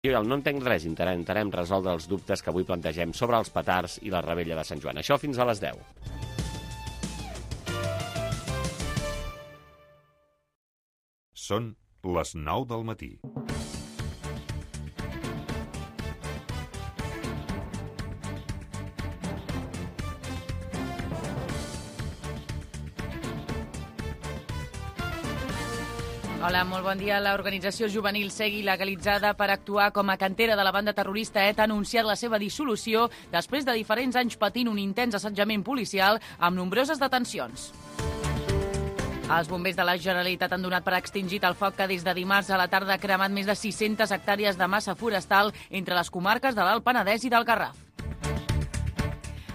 No entenc res, intentarem resoldre els dubtes que avui plantegem sobre els petards i la rebella de Sant Joan. Això fins a les 10. Són les 9 del matí. Hola, molt bon dia. L'organització juvenil Segui, legalitzada per actuar com a cantera de la banda terrorista ETA, ha anunciat la seva dissolució després de diferents anys patint un intens assetjament policial amb nombroses detencions. Els bombers de la Generalitat han donat per extingit el foc que des de dimarts a la tarda ha cremat més de 600 hectàrees de massa forestal entre les comarques de l'Alt Penedès i del Garraf.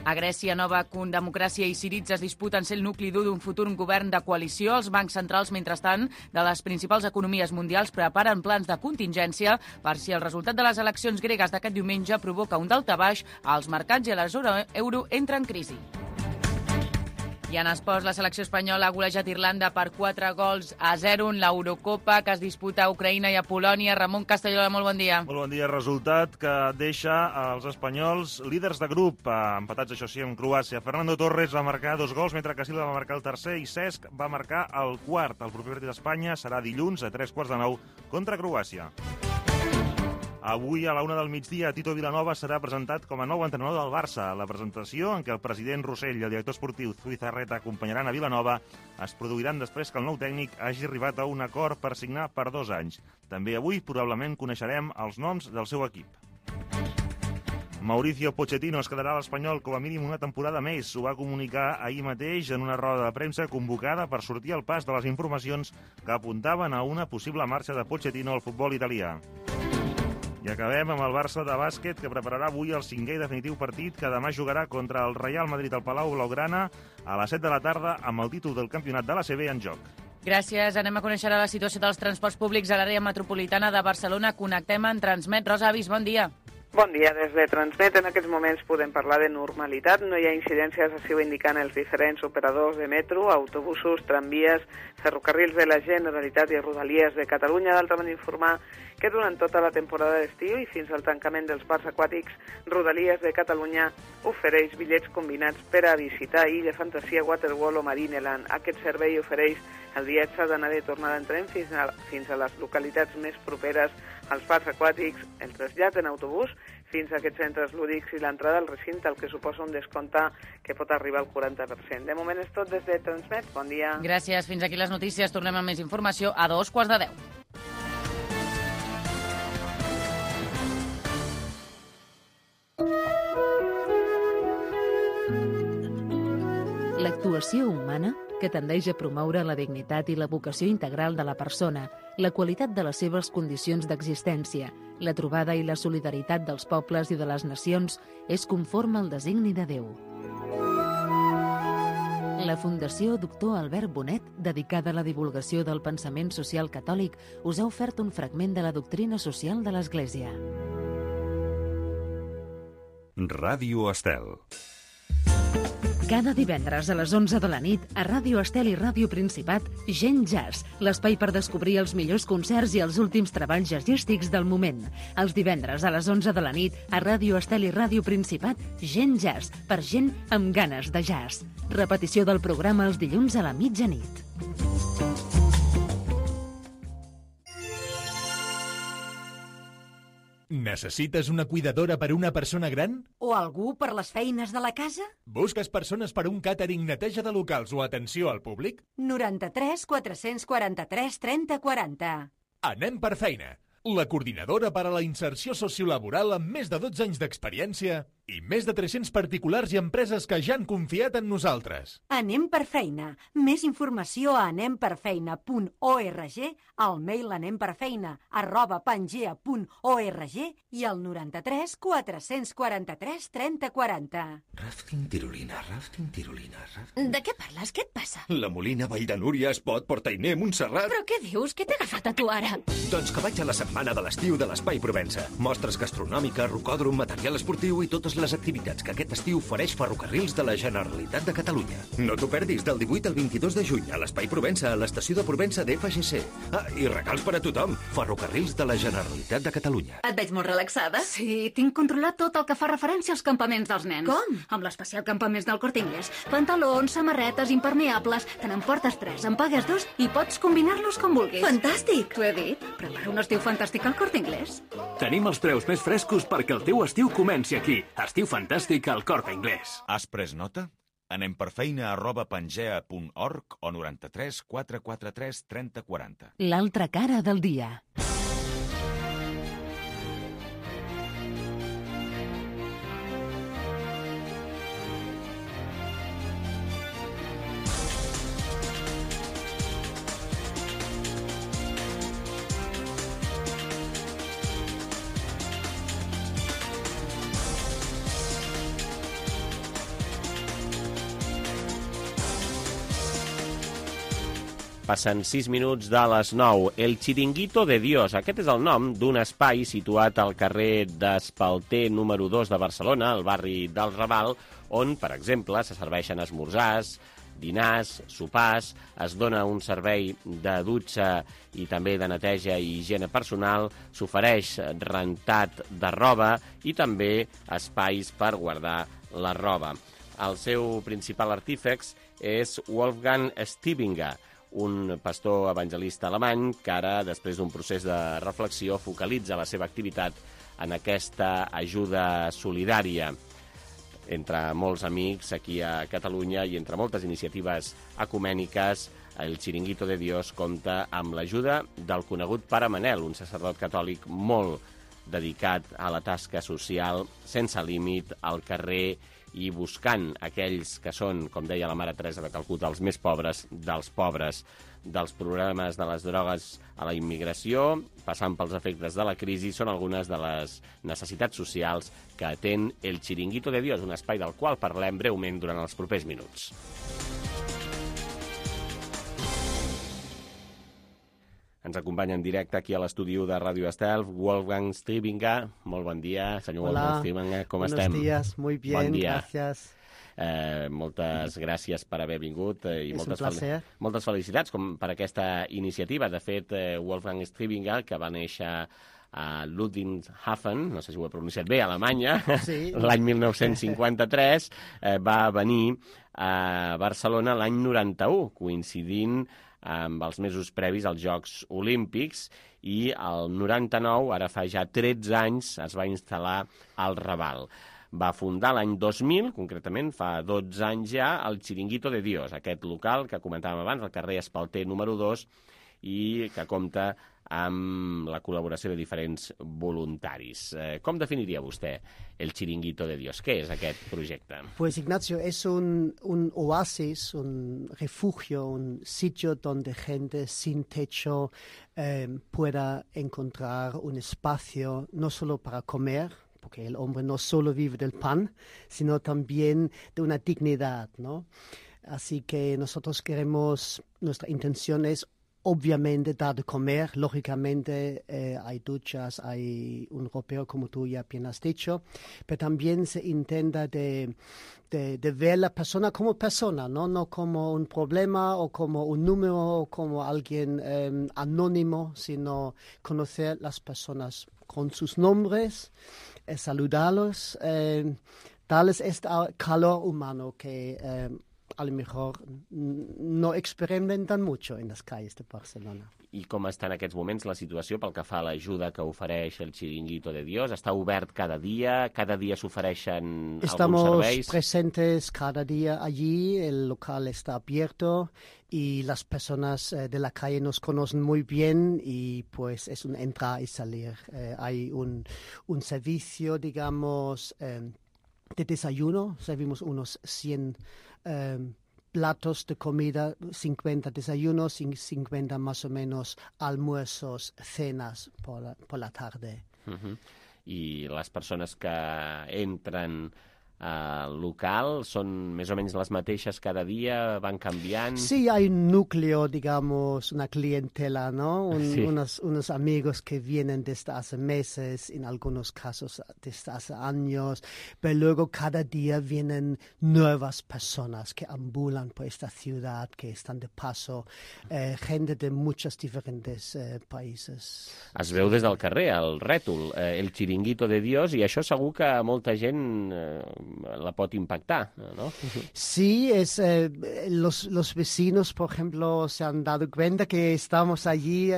A Grècia, Nova Democràcia i Syriza es disputen ser el nucli dur d'un futur govern de coalició. Els bancs centrals, mentrestant, de les principals economies mundials preparen plans de contingència per si el resultat de les eleccions gregues d'aquest diumenge provoca un daltabaix als mercats i a la zona euro entra en crisi. I en esports, la selecció espanyola ha golejat Irlanda per 4-0 en l'Eurocopa que es disputa a Ucraïna i a Polònia. Ramon Castellola, molt bon dia. Molt bon dia. Resultat que deixa els espanyols líders de grup, empatats, això sí, amb Croàcia. Fernando Torres va marcar 2 gols, mentre que Silva va marcar el tercer i Cesc va marcar el quart. El proper partit d'Espanya serà dilluns a 9:15 contra Croàcia. Avui, a la 1 del migdia, Tito Vilanova serà presentat com a nou entrenador del Barça. La presentació, en què el president Rossell i el director esportiu Zubizarreta acompanyaran a Vilanova, es produiran després que el nou tècnic hagi arribat a un acord per signar per 2 anys. També avui, probablement, coneixerem els noms del seu equip. Mauricio Pochettino es quedarà a l'Espanyol com a mínim una temporada més. Ho va comunicar ahir mateix en una roda de premsa convocada per sortir al pas de les informacions que apuntaven a una possible marxa de Pochettino al futbol italià. I acabem amb el Barça de bàsquet, que prepararà avui el 5è i definitiu partit que demà jugarà contra el Real Madrid al Palau Blaugrana a les 7 de la tarda amb el títol del campionat de l'ACB en joc. Gràcies. Anem a conèixer la situació dels transports públics a l'àrea metropolitana de Barcelona. Connectem en Transmet. Rosa Avis, bon dia. Bon dia. Des de Transmet en aquests moments podem parlar de normalitat. No hi ha incidències, així ho indiquen els diferents operadors de metro, autobusos, tramvies, ferrocarrils de la Generalitat i Rodalies de Catalunya. D'altra banda, informar que durant tota la temporada d'estiu i fins al tancament dels parcs aquàtics, Rodalies de Catalunya ofereix bitllets combinats per a visitar Illa Fantasia, Waterworld o Marineland. Aquest servei ofereix el viatge d'anada i tornada en tren fins a les localitats més properes als parcs aquàtics, el trasllat en autobús fins a aquests centres lúdics i l'entrada al recinte, el que suposa un descompte que pot arribar al 40%. De moment és tot des de Transmet. Bon dia. Gràcies. Fins aquí les notícies. Tornem amb més informació a 9:15. L'actuació humana, que tendeix a promoure la dignitat i la vocació integral de la persona, la qualitat de les seves condicions d'existència, la trobada i la solidaritat dels pobles i de les nacions, és conforme al designi de Déu. La Fundació Doctor Albert Bonet, dedicada a la divulgació del pensament social catòlic, us ha ofert un fragment de la doctrina social de l'Església. Ràdio Estel. Cada divendres a les 11 de la nit, a Ràdio Estel i Ràdio Principat, Gent Jazz, l'espai per descobrir els millors concerts i els últims treballs jazzístics del moment. Els divendres a les 11 de la nit, a Ràdio Estel i Ràdio Principat, Gent Jazz, per gent amb ganes de jazz. Repetició del programa els dilluns a la mitjanit. Necessites una cuidadora per a una persona gran? O algú per les feines de la casa? Busques persones per a un càtering, neteja de locals o atenció al públic? 93 443 30 40. Anem per feina. La coordinadora per a la inserció sociolaboral amb més de 12 anys d'experiència i més de 300 particulars i empreses que ja han confiat en nosaltres. Anem per feina. Més informació a anemperfeina.org, al mail anemperfeina@pangea.org i al 93 443 30 40. Rafting tirolina. De què parles? Què et passa? La Molina, Vall de Núria, Espot, Portainer, Montserrat... Però què dius? Què t'ha agafat a tu ara? Doncs que vaig a la setmana de l'estiu de l'Espai Provença. Mostres gastronòmiques, rocòdrom, material esportiu i totes totes les activitats que aquest estiu ofereix Ferrocarrils de la Generalitat de Catalunya. No t'ho perdis del 18 al 22 de juny a l'Espai Provença, a l'estació de Provença d'FGC. I regals per a tothom. Ferrocarrils de la Generalitat de Catalunya. Et veig molt relaxada. Sí, tinc controlat tot el que fa referència als campaments dels nens. Com? Amb l'especial campaments del Corte Inglés. Pantalons, samarretes, impermeables. Te n'emportes 3, en pagues 2 i pots combinar-los com vulguis. Fantàstic! T'ho he dit. Prepara un estiu fantàstic al Corte Inglés. Tenim els preus més frescos perquè el teu estiu comenci aquí. Estiu fantàstic al Corte Inglés. Has pres nota? Anem per feina @pangea.org o 93 443 30 40. L'altra cara del dia. Passen 6 minuts de les 9. El Chiringuito de Dios. Aquest és el nom d'un espai situat al carrer d'Espalter número 2 de Barcelona, al barri del Raval, on, per exemple, se serveixen esmorzars, dinars, sopars, es dona un servei de dutxa i també de neteja i higiene personal, s'ofereix rentat de roba i també espais per guardar la roba. El seu principal artífex és Wolfgang Stiebinger, un pastor evangelista alemany que ara, després d'un procés de reflexió, focalitza la seva activitat en aquesta ajuda solidària entre molts amics aquí a Catalunya i entre moltes iniciatives ecumèniques. El Chiringuito de Dios compta amb l'ajuda del conegut pare Manel, un sacerdot catòlic molt dedicat a la tasca social, sense límit, al carrer i buscant aquells que són, com deia la mare Teresa de Calcuta, els més pobres dels pobres, dels problemes de les drogues a la immigració, passant pels efectes de la crisi, són algunes de les necessitats socials que atén el Chiringuito de Dios, un espai del qual parlem breument durant els propers minuts. Ens acompanya en directe aquí a l'estudi de Ràdio Estel, Wolfgang Stiebinger. Molt bon dia, senyor Wolfgang Stiebinger, com estem? Buenos días, muy bien, bon dia. Gracias. Moltes gràcies per haver vingut i moltes felicitats per aquesta iniciativa. De fet, Wolfgang Stiebinger, que va néixer a Ludwigshafen, no sé si ho he pronunciat bé, a Alemanya, sí. L'any 1953, va venir a Barcelona l'any 91, coincidint amb els mesos previs als Jocs Olímpics, i el 99, ara fa ja 13 anys, es va instal·lar al Raval. Va fundar l'any 2000, concretament fa 12 anys ja, el Chiringuito de Dios, aquest local que comentàvem abans, al carrer Espalter número 2, i que compta amb la col·laboració de diferents voluntaris. Com definiria vostè el Chiringuito de Dios? Què és aquest projecte? Pues Ignacio, es un oasis, un refugio, un sitio donde gente sin techo pueda encontrar un espacio no solo para comer, porque el hombre no solo vive del pan, sino también de una dignidad, ¿no? Así que nosotros queremos, nuestra intención es obviamente dar de comer, lógicamente hay duchas, hay un ropero como tú ya bien has dicho, pero también se intenta de ver la persona como persona, no como un problema o como un número o como alguien anónimo, sino conocer las personas con sus nombres, saludarlos, darles este calor humano que a lo mejor no experimentan mucho en las calles de Barcelona. I com està en aquests moments la situació pel que fa a l'ajuda que ofereix el Chiringuito de Dios? Està obert cada dia s'ofereixen alguns serveis? Estamos presentes cada día allí, el local está abierto y las personas de la calle nos conocen muy bien y pues es un entrar y salir. Hay un servicio, digamos, de desayuno, servimos unos 100 platos de comida, 50 desayunos y 50 más o menos almuerzos, cenas por la tarde. I les persones que entren local? Són més o menys les mateixes cada dia? Van canviant? Sí, hay un núcleo, digamos, una clientela, ¿no? Unos amigos que vienen desde hace meses, en algunos casos desde hace años, pero luego cada día vienen nuevas personas que ambulan por esta ciudad, que están de paso, gente de muchos diferentes países. Es veu des del carrer, el rètol, el chiringuito de Dios, i això segur que molta gent la pot impactar, ¿no? Sí, los vecinos, por ejemplo, se han dado cuenta que estamos allí,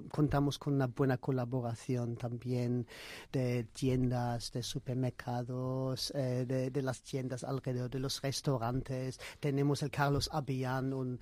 contamos con una buena colaboración también de tiendas, de supermercados, de las tiendas alrededor de los restaurantes. Tenemos el Carlos Abián, un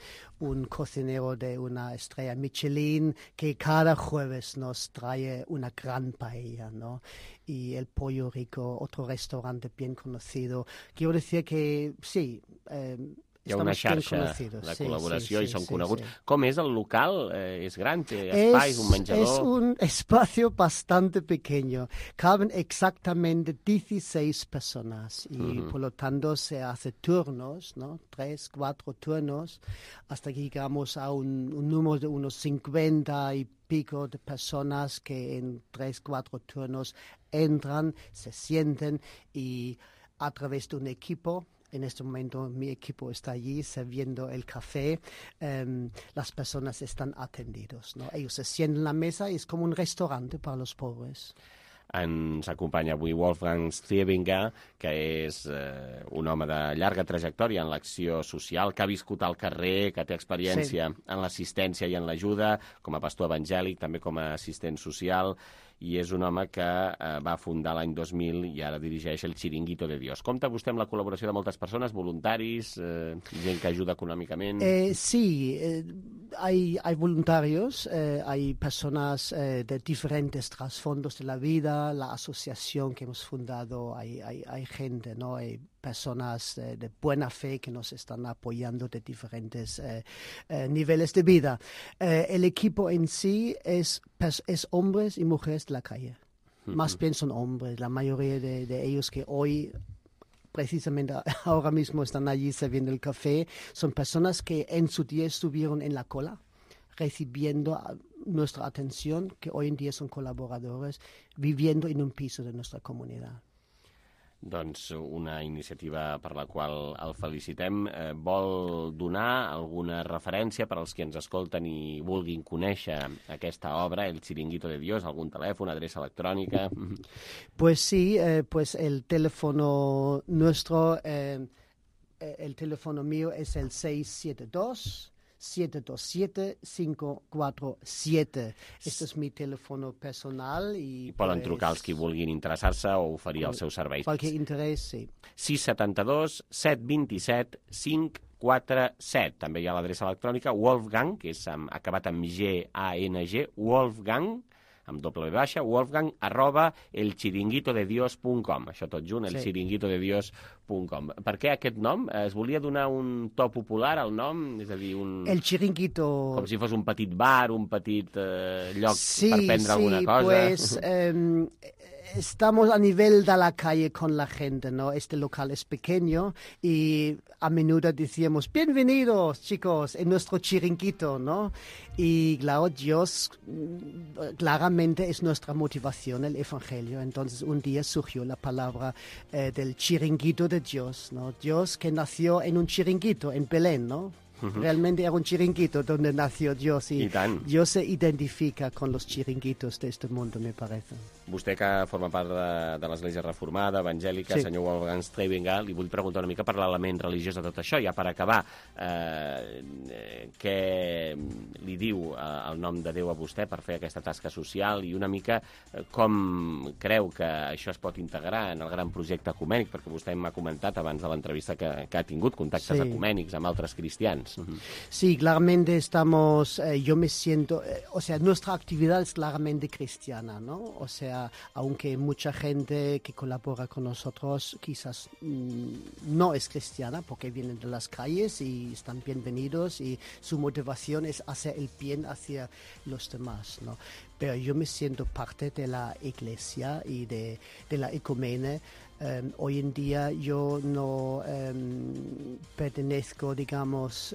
cocinero de una estrella Michelin, que cada jueves nos trae una gran paella, ¿no? Y el Pollo Rico, otro restaurante bien conocido. Quiero decir que sí, hi ha una xarxa de col·laboració i són coneguts. Com és el local? És gran? Té espais, un menjador? Es un espacio bastante pequeño. Caben exactamente 16 personas y por lo tanto se hace turnos, ¿no? 3, 4 turnos, hasta que llegamos a un número de unos 50 y pico de personas que en 3, 4 turnos entran, se sienten y a través de un equipo. En este momento mi equipo está allí sirviendo el café. Las personas están atendidos, ¿no? Ellos se sientan en la mesa y es como un restaurante para los pobres. Ens acompanya avui Wolfgang Stiebinger, que és un home de llarga trajectòria en l'acció social, que ha viscut al carrer, que té experiència en l'assistència i en l'ajuda, com a pastor evangèlic, també com a assistent social, i és un home que va fundar l'any 2000 i ara dirigeix el Chiringuito de Dios. Compta vostè amb la col·laboració de moltes persones, voluntaris, gent que ajuda econòmicament? Sí, hay voluntarios, hay personas de diferentes trasfondos de la vida, la asociación que hemos fundado, hay gente, ¿no? Hay personas de buena fe que nos están apoyando de diferentes niveles de vida. El equipo en sí es hombres y mujeres de la calle. Más bien son hombres, la mayoría de ellos que hoy precisamente ahora mismo están allí sirviendo el café, son personas que en su día estuvieron en la cola recibiendo nuestra atención, que hoy en día son colaboradores, viviendo en un piso de nuestra comunidad. Doncs una iniciativa per la qual el felicitem. Vol donar alguna referència per als que ens escolten i vulguin conèixer aquesta obra, el Chiringuito de Dios, algun telèfon, adreça electrònica? Pues sí, pues el teléfono nuestro, el teléfono mío es el 672-727-547. Este és mi telèfon personal. I poden trucar els que vulguin interessar-se o oferir els seus serveis. Qualque interès, sí. 672-727-547. També hi ha l'adreça electrònica Wolfgang, que és acabat amb G-A-N-G, Wolfgang, amb doble baixa, wolfgang@elchiringuitodedios.com. Això tot junt, elchiringuitodedios.com. Per què aquest nom? Es volia donar un to popular al nom? És a dir, El chiringuito... com si fos un petit bar, un petit lloc per prendre alguna cosa. Pues estamos a nivel de la calle con la gente, ¿no? Este local es pequeño y a menudo decíamos, bienvenidos, chicos, en nuestro chiringuito, ¿no? Y claro, Dios claramente es nuestra motivación, el Evangelio. Entonces un día surgió la palabra del chiringuito de Dios, ¿no? Dios que nació en un chiringuito, en Belén, ¿no? Realmente era un chiringuito donde nació Dios y Dios se identifica con los chiringuitos de este mundo, me parece. Vostè, que forma part de l'Església Reformada, evangèlica, sí. Senyor Wolfgang Stiebinger, li vull preguntar una mica per l'element religiós de tot això, ja per acabar. Què li diu el nom de Déu a vostè per fer aquesta tasca social i una mica com creu que això es pot integrar en el gran projecte ecumènic, perquè vostè m'ha comentat abans de l'entrevista que ha tingut contactes ecumènics amb altres cristians. Sí, claramente estamos, yo me siento, o sea, nuestra actividad es claramente cristiana, ¿no? O sea, aunque mucha gente que colabora con nosotros quizás no es cristiana porque vienen de las calles y están bienvenidos y su motivación es hacer el bien hacia los demás, ¿no? pero yo me siento parte de la iglesia y de la ecumene. Hoy en día yo no pertenezco, digamos,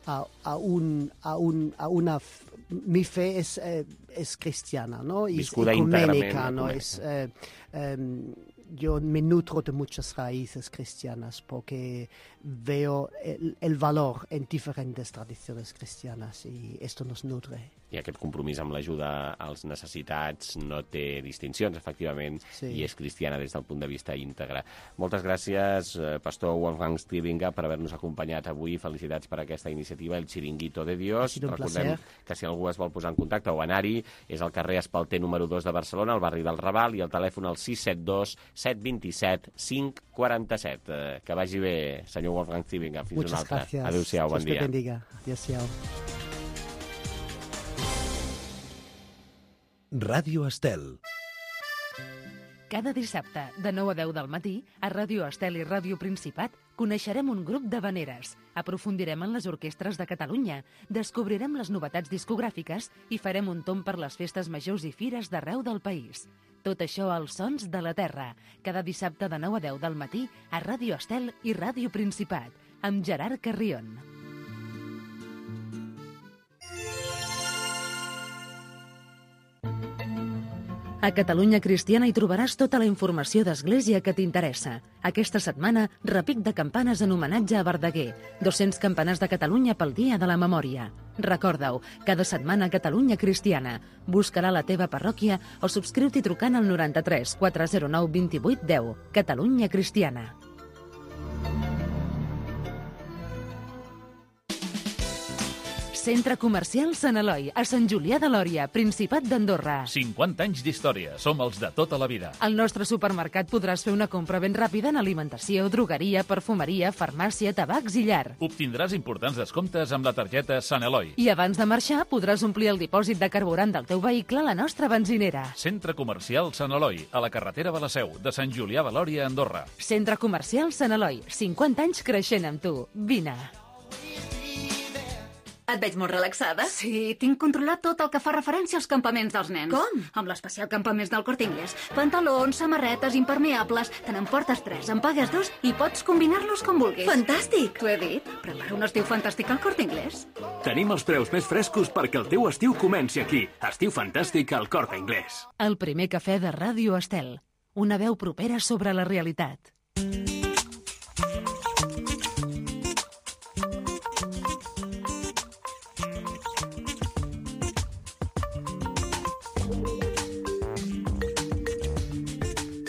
a una... Mi fe es cristiana, ¿no? Y es ecuménica, ¿no? Yo me nutro de muchas raíces cristianas porque veo el valor en diferentes tradiciones cristianas y esto nos nutre. I aquest compromís amb l'ajuda als necessitats no té distincions, efectivament, i és cristiana des del punt de vista íntegre. Moltes gràcies, pastor Wolfgang Stibinger, per haver-nos acompanyat avui. Felicitats per aquesta iniciativa, el Chiringuito de Dios. Recordem que si algú es vol posar en contacte o anar-hi, és al carrer Espalter número 2 de Barcelona, al barri del Raval, i el telèfon al 672 727 547. Que vagi bé, senyor Wolfgang Stibinger. Fins una altra. Adéu-siau, bon dia. Adéu-siau. Ràdio Estel. Cada dissabte, de 9 a 10 del matí, a Ràdio Estel i Ràdio Principat, coneixerem un grup d'havaneres, aprofundirem en les orquestres de Catalunya, descobrirem les novetats discogràfiques i farem un tomb per les festes majors i fires d'arreu del país. Tot això als Sons de la Terra, cada dissabte de 9 a 10 del matí, a Ràdio Estel i Ràdio Principat, amb Gerard Carrion. A Catalunya Cristiana hi trobaràs tota la informació d'Església que t'interessa. Aquesta setmana, repic de campanes en homenatge a Verdaguer. 200 campanars de Catalunya pel Dia de la Memòria. Recorda-ho, cada setmana Catalunya Cristiana. Buscarà la teva parròquia o subscriu-t'hi trucant al 93 409 28 10. Catalunya Cristiana. Centre Comercial Sant Eloi, a Sant Julià de Lòria, Principat d'Andorra. 50 anys d'història, som els de tota la vida. Al nostre supermercat podràs fer una compra ben ràpida en alimentació, drogueria, perfumeria, farmàcia, tabacs i llar. Obtindràs importants descomptes amb la targeta Sant Eloi. I abans de marxar podràs omplir el dipòsit de carburant del teu vehicle a la nostra benzinera. Centre Comercial Sant Eloi, a la carretera de la Seu, de Sant Julià de Lòria, Andorra. Centre Comercial Sant Eloi, 50 anys creixent amb tu. Vine. Et veig molt relaxada. Sí, tinc controlat tot el que fa referència als campaments dels nens. Com? Amb l'especial campaments del Corte Inglés. Pantalons, samarretes, impermeables... Te n'emportes 3, en pagues 2 i pots combinar-los com vulguis. Fantàstic! T'ho he dit. Prepara un estiu fantàstic al Corte Inglés. Tenim els preus més frescos perquè el teu estiu comenci aquí. Estiu fantàstic al Corte Inglés. El primer cafè de Ràdio Estel. Una veu propera sobre la realitat.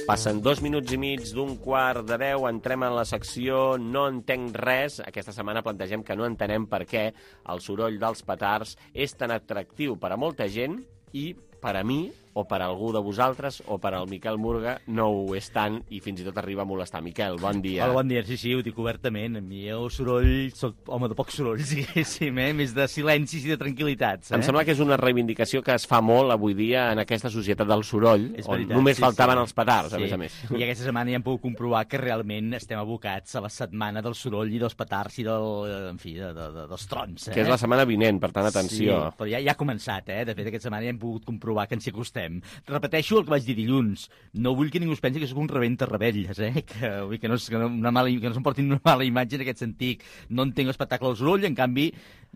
Passen 2 minuts i mig d'un quart de 10, entrem en la secció No entenc res. Aquesta setmana plantegem que no entenem per què el soroll dels petards és tan atractiu per a molta gent i per a mi, o per a algú de vosaltres, o per al Miquel Murga, no ho és tant i fins i tot arriba a molestar. Miquel, bon dia. Hola, bon dia. Sí, ho dic obertament. A mi el soroll, soc home de poc soroll, diguéssim, més de silencis i de tranquil·litats. Em sembla que és una reivindicació que es fa molt avui dia en aquesta societat del soroll, on només faltaven els petards, a més a més. I aquesta setmana ja hem pogut comprovar que realment estem abocats a la setmana del soroll i dels petards i dels trons. Que és la setmana vinent, per tant, atenció. Sí, però ja ha començat, De fet, aquesta setmana ja hem pogut comprovar que ens hi acostem. Repeteixo el que vaig dir dilluns. No vull que ningú es pensi que sóc un rebenta rebelles, que no s'emportin una mala imatge en aquest sentit. No entenc l'espectacle del soroll, en canvi,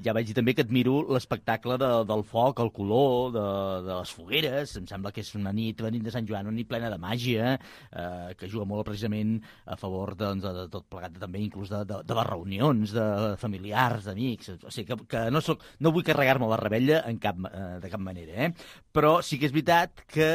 ja vaig dir també que admiro l'espectacle del foc, el color, de les fogueres. Em sembla que és una nit de Sant Joan, una nit plena de màgia, que juga molt precisament a favor de tot plegat, també inclús de les reunions, de familiars, d'amics. O sigui, que no vull carregar-me la rebella de cap manera, Però sí que és veritat que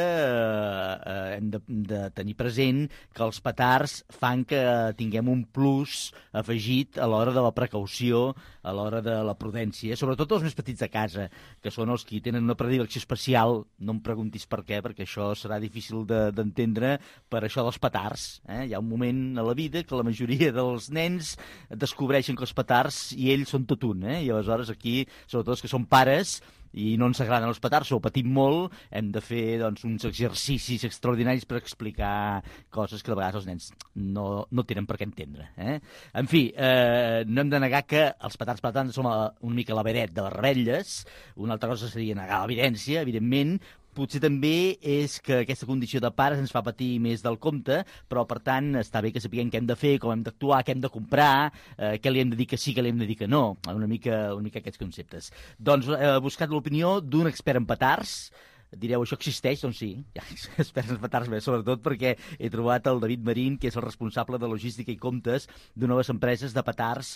hem de tenir present que els petards fan que tinguem un plus afegit a l'hora de la precaució, a l'hora de la prudència, sobretot els més petits de casa, que són els que tenen una predilecció especial. No em preguntis per què, perquè això serà difícil d'entendre, per això dels petards. Hi ha un moment a la vida que la majoria dels nens descobreixen que els petards i ells són tot un, i aleshores aquí, sobretot els que són pares, i no ens agraden els petards o patim molt, hem de fer doncs, uns exercicis extraordinaris per explicar coses que de vegades els nens no tenen per què entendre. En fi, no hem de negar que els petards, per tant, som una mica la vedet de les revetlles. Una altra cosa seria negar l'evidència, evidentment. Potser també és que aquesta condició de pares ens fa patir més del compte, però, per tant, està bé que sapiguem què hem de fer, com hem d'actuar, què hem de comprar, què li hem de dir que sí, què li hem de dir que no. Una mica aquests conceptes. Doncs he buscat l'opinió d'un expert en petards. Direu, això existeix? Doncs sí, hi ha experts en petards, sobretot perquè he trobat el David Marín, que és el responsable de logística i comptes d'una de les empreses de petards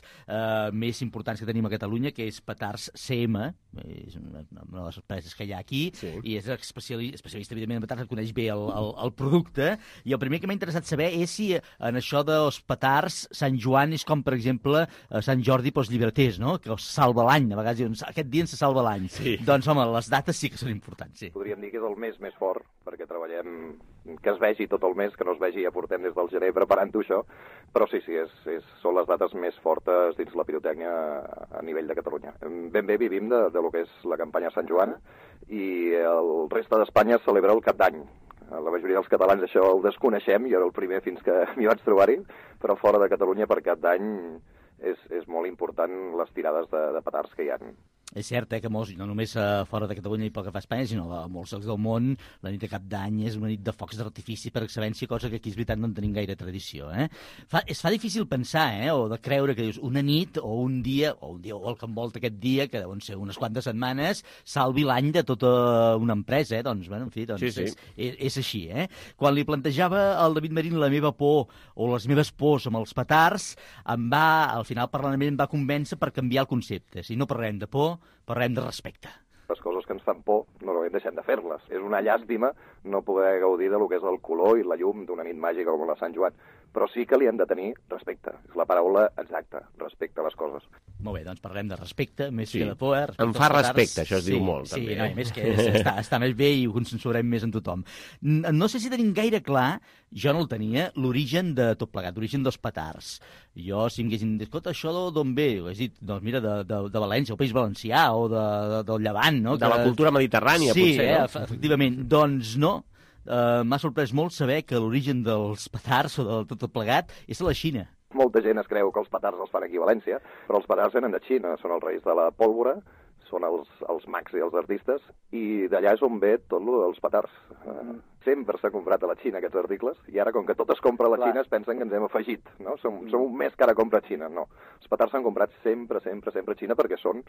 més importants que tenim a Catalunya, que és Petards CM, és una de les empreses que hi ha aquí, i és especialista, evidentment, en petards, coneix bé el producte, i el primer que m'ha interessat saber és si en això dels petards Sant Joan és com, per exemple, Sant Jordi pels llibreters, no? Que els salva l'any, a vegades diuen, aquest dia ens salva l'any. Doncs, home, les dates sí que són importants, sí. Podríem dir que és el mes més fort, perquè treballem que es vegi tot el mes, que no es vegi, ja portem des del gener preparant-ho això, però sí, són les dates més fortes dins la pirotècnia a nivell de Catalunya. Ben bé vivim de lo que és la campanya Sant Joan i el reste d'Espanya celebra el Cap d'Any. La majoria dels catalans això ho desconeixem, jo era el primer fins que m'hi vaig trobar-hi, però fora de Catalunya per Cap d'Any és molt important les tirades de petards que hi ha. És cert que molts, no només fora de Catalunya i pel que fa a Espanya, sinó a molts llocs del món, la nit de Cap d'Any és una nit de focs d'artifici per excel·lència, cosa que aquí és veritat no en tenim gaire tradició. Es fa difícil pensar, o de creure que dius una nit o un dia o el que envolta aquest dia, que deuen ser unes quantes setmanes, salvi l'any de tota una empresa. Doncs, bueno, en fi, és així. Quan li plantejava al David Marín la meva por o les meves pors amb els petards, al final parlant va convèncer per canviar el concepte. Si no parlem de por, parlem de respecte. Les coses que ens fan por, normalment deixem de fer-les. És una llàstima no poder gaudir de lo que és el color i la llum d'una nit màgica com la Sant Joan, però sí que li hem de tenir respecte. És la paraula exacta, respecte a les coses. Molt bé, doncs parlem de respecte, més que de por. Em fa respecte, això es diu molt, també. Sí, no, més que està més bé i ho consensuarem més en tothom. No sé si tenim gaire clar, jo no el tenia, l'origen de tot plegat, l'origen dels petards. Jo, si em haguessin dit, escolta, això d'on ve? Ho has dit, doncs mira, de València, el País Valencià, o del Llevant, no? De la cultura mediterrània, potser, no? Sí, efectivament. Doncs no. M'ha sorprès molt saber que l'origen dels petards o de tot plegat és a la Xina. Molta gent es creu que els petards els fan aquí a València, però els petards venen de Xina, són els reis de la pólvora, són els mags i els artistes, i d'allà és on ve tot el dels petards. Sempre s'ha comprat a la Xina aquests articles, i ara, com que tot es compra a la Xina, es pensen que ens hem afegit, no? Som un mes que ara compra a Xina, no. Els petards s'han comprat sempre a Xina perquè són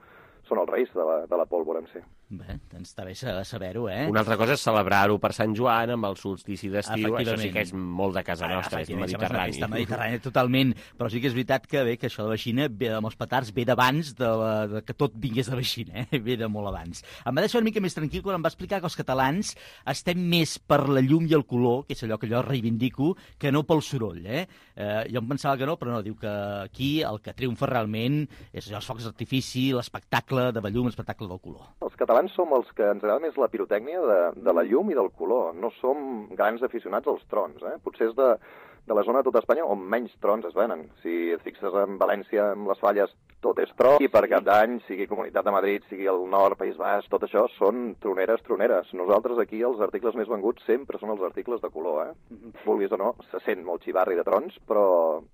els reis de la pólvora en si. Bé, doncs està bé saber-ho, Una altra cosa és celebrar-ho per Sant Joan amb el solstici d'estiu, això sí que és molt de casa nostra, és mediterrani. Està mediterrani totalment, però sí que és veritat que bé, que això de la Xina, amb els petards, ve d'abans que tot vingués de la Xina, ve de molt abans. Em va deixar una mica més tranquil quan em va explicar que els catalans estem més per la llum i el color, que és allò que jo reivindico, que no pel soroll. Jo em pensava que no, però no, diu que aquí el que triomfa realment és els focs d'artifici, l'espectacle de la llum, l'espectacle del color. Els catalans som els que ens agrada més la pirotècnia de la llum i del color. No som grans aficionats als trons. Potser és de la zona de tota Espanya on menys trons es venen. Si et fixes en València, amb les falles, tot és tron, i per Cap d'Any, sigui Comunitat de Madrid, sigui el nord, País Basc, tot això són troneres. Nosaltres aquí els articles més venguts sempre són els articles de color, Vulguis o no, se sent molt xivarri de trons, però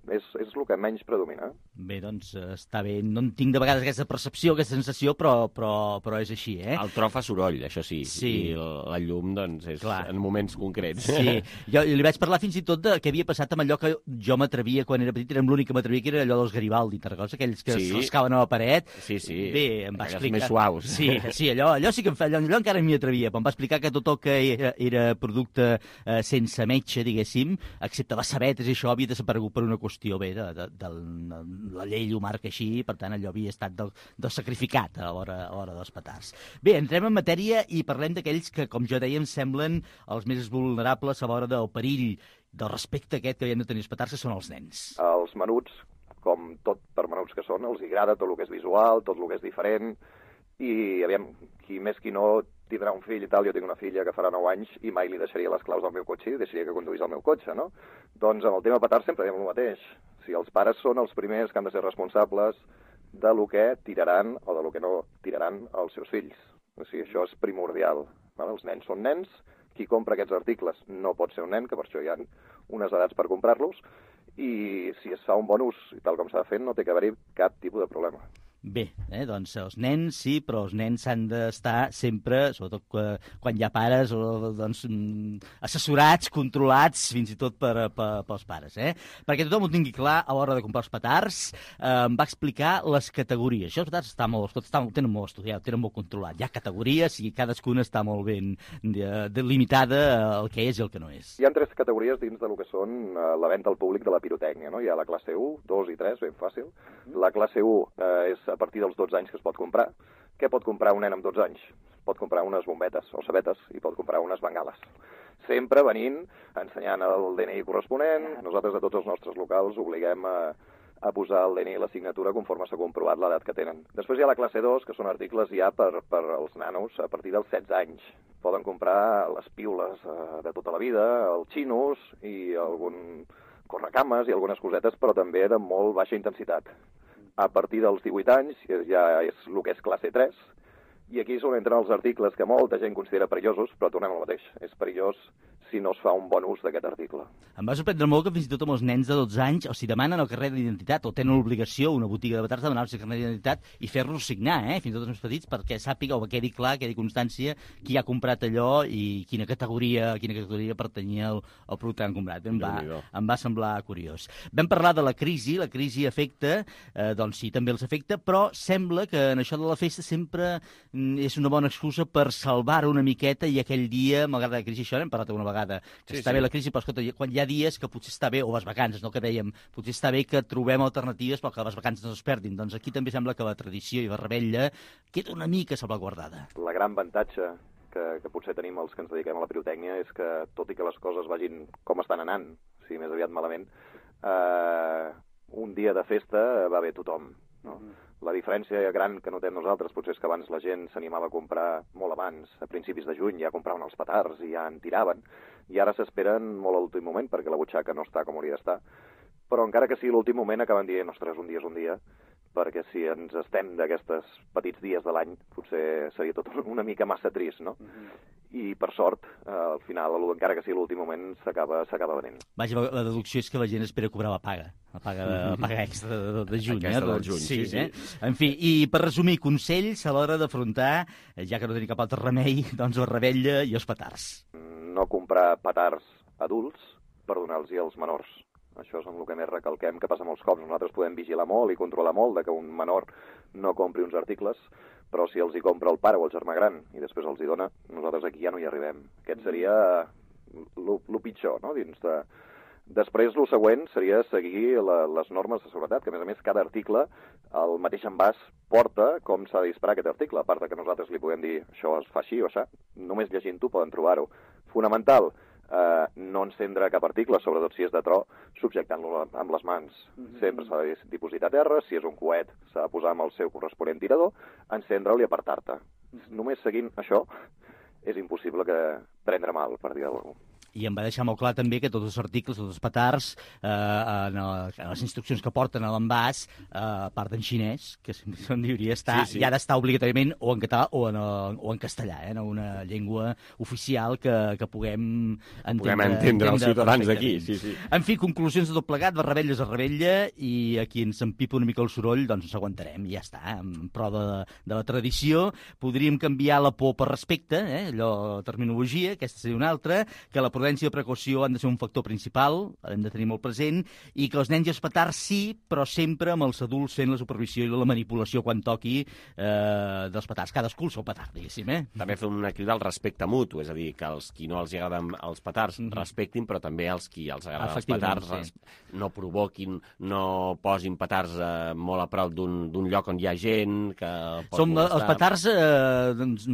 és el que menys predomina. Bé, doncs està bé. No en tinc de vegades aquesta percepció, aquesta sensació, però és així, El tro fa soroll, això sí. I la llum, doncs, és en moments concrets. Sí. Jo li vaig parlar fins i tot de què havia passat amb allò que jo m'atrevia quan era petit, érem l'únic que m'atrevia, que era allò dels Garibaldi, aquells que rascaven a la paret. Sí. Bé, em va explicar... més suaus. Sí, allò sí que allò encara m'hi atrevia, però em va explicar que tot el que era producte sense metge, diguéssim, excepte les sabetes i això, havia desaparegut per una qüestió bé de la llei ho marca així, per tant allò havia estat del sacrificat a l'hora dels petards. Bé, entrem en matèria i parlem d'aquells que, com jo deia, em semblen els més vulnerables a l'hora del perill, del respecte aquest que havien de tenir els petards, que són els nens. Els menuts, com tot per menuts que són, els agrada tot el que és visual, tot el que és diferent, i aviam, qui més qui no tindrà un fill i tal, jo tinc una filla que farà 9 anys i mai li deixaria les claus del meu cotxe i deixaria que conduís el meu cotxe, no? Doncs amb el tema petards sempre diem el mateix. Si els pares són els primers que han de ser responsables de lo que tiraran o de lo que no tiraran els seus fills. O sigui, això és primordial. Els nens són nens, qui compra aquests articles no pot ser un nen, que per això hi ha unes edats per comprar-los, i si es fa un bon ús, i tal com s'ha fet, no té que haver-hi cap tipus de problema. Bé, doncs els nens sí, però els nens s'han d'estar sempre, sobretot quan hi ha pares, doncs, assessorats, controlats, fins i tot pels pares. Perquè tothom ho tingui clar a l'hora de comprar els petards. Em va explicar les categories. Això els petards ho tenen molt estudiat, ho tenen molt controlat. Hi ha categories i cadascuna està molt ben delimitada el que és i el que no és. Hi ha 3 categories dins del que són la venda al públic de la pirotècnia. No? Hi ha la classe 1, 2 i 3, ben fàcil. La classe 1 és a partir dels 12 anys que es pot comprar. Què pot comprar un nen amb 12 anys? Pot comprar unes bombetes o sabetes i pot comprar unes bengales. Sempre venint, ensenyant el DNI corresponent. Nosaltres a tots els nostres locals obliguem a posar el DNI i la signatura conforme s'ha comprovat l'edat que tenen. Després hi ha la classe 2, que són articles ja per als nanos a partir dels 16 anys. Poden comprar les piules de tota la vida, els xinos i algun correcames i algunes cosetes, però també de molt baixa intensitat. A partir dels 18 anys ja és el que és classe 3, i aquí és on entren els articles que molta gent considera perillosos, però tornem al mateix. És perillós si no es fa un bon ús d'aquest article. Em va sorprendre molt que fins i tot amb els nens de 12 anys els demanen el carnet d'identitat, o tenen l'obligació, una botiga de petards, de demanar-los el carnet d'identitat i fer-los signar, fins i tot els més petits, perquè sàpiga o quedi clar, quedi constància qui ha comprat allò i quina categoria pertanyia al producte que han comprat. Em va semblar curiós. Vam parlar de la crisi afecta, doncs sí, també els afecta, però sembla que en això de la festa sempre és una bona excusa per salvar una miqueta i aquell dia, malgrat la crisi, això n'hem parlat una vegada, que està bé la crisi, però escolta, quan hi ha dies que potser està bé, o les vacances, no que dèiem, potser està bé que trobem alternatives perquè les vacances no es perdin. Doncs aquí també sembla que la tradició i la revetlla queda una mica salvaguardada. La gran avantatge que potser tenim els que ens dediquem a la pirotècnia és que, tot i que les coses vagin com estan anant, si més aviat malament, un dia de festa va bé tothom, no? La diferència gran que notem nosaltres potser és que abans la gent s'animava a comprar molt abans, a principis de juny, ja compraven els petards i ja en tiraven, i ara s'esperen molt a l'últim moment perquè la butxaca no està com hauria d'estar, però encara que sigui l'últim moment acaben dient, ostres, un dia és un dia, perquè si ens estem d'aquests petits dies de l'any potser seria tot una mica massa trist, no? I per sort, al final, encara que sigui l'últim moment, s'acaba venent. Vaja, la deducció és que la gent espera cobrar la paga extra de juny. Aquesta del juny, sí. En fi, i per resumir, consells a l'hora d'afrontar, ja que no tenim cap altre remei, doncs la revetlla i els petards. No comprar petards adults per donar-los als menors. Això és el que més recalquem, que passa molts cops. Nosaltres podem vigilar molt i controlar molt de que un menor no compri uns articles, però si els hi compra el pare o el germà gran i després els hi dona, nosaltres aquí ja no hi arribem. Aquest seria el pitjor, no? Després, el següent seria seguir les normes de seguretat, que a més cada article, el mateix envàs, porta com s'ha de disparar aquest article, a part que nosaltres li podem dir això es fa així o això, només llegint-ho poden trobar-ho. Fonamental, no encendre cap article, sobretot si és de tro, subjectant-lo amb les mans. Sempre s'ha de dipositar a terra, si és un coet s'ha de posar amb el seu corresponent tirador, encendre'l i apartar-te. Només seguint això és impossible prendre mal, per dir alguna cosa. I em va deixar molt clar també que tots els articles, tots els petards, en les instruccions que porten a l'envàs, a part en xinès, que hauria d'estar, ja ha d'estar obligatòriament o en català o en castellà, en una llengua oficial que puguem entendre els ciutadans d'aquí. Sí. En fi, conclusions de tot plegat, la rebella és la rebella, i aquí ens empipa una mica el soroll, doncs ens aguantarem, i ja està, en pro de la tradició. Podríem canviar la por per respecte, allò, terminologia, aquesta seria una altra, que la prudència i precaució han de ser un factor principal, hem de tenir molt present, i que els nens i els petards sí, però sempre amb els adults fent la supervisió i la manipulació quan toqui dels petards. Cadascú el seu petard, diguéssim. També fer una crida al respecte mutu, és a dir, que els qui no els agraden els petards respectin, però també els qui els agraden els petards no provoquin, no posin petards molt a prop d'un lloc on hi ha gent que pot molestar. Els petards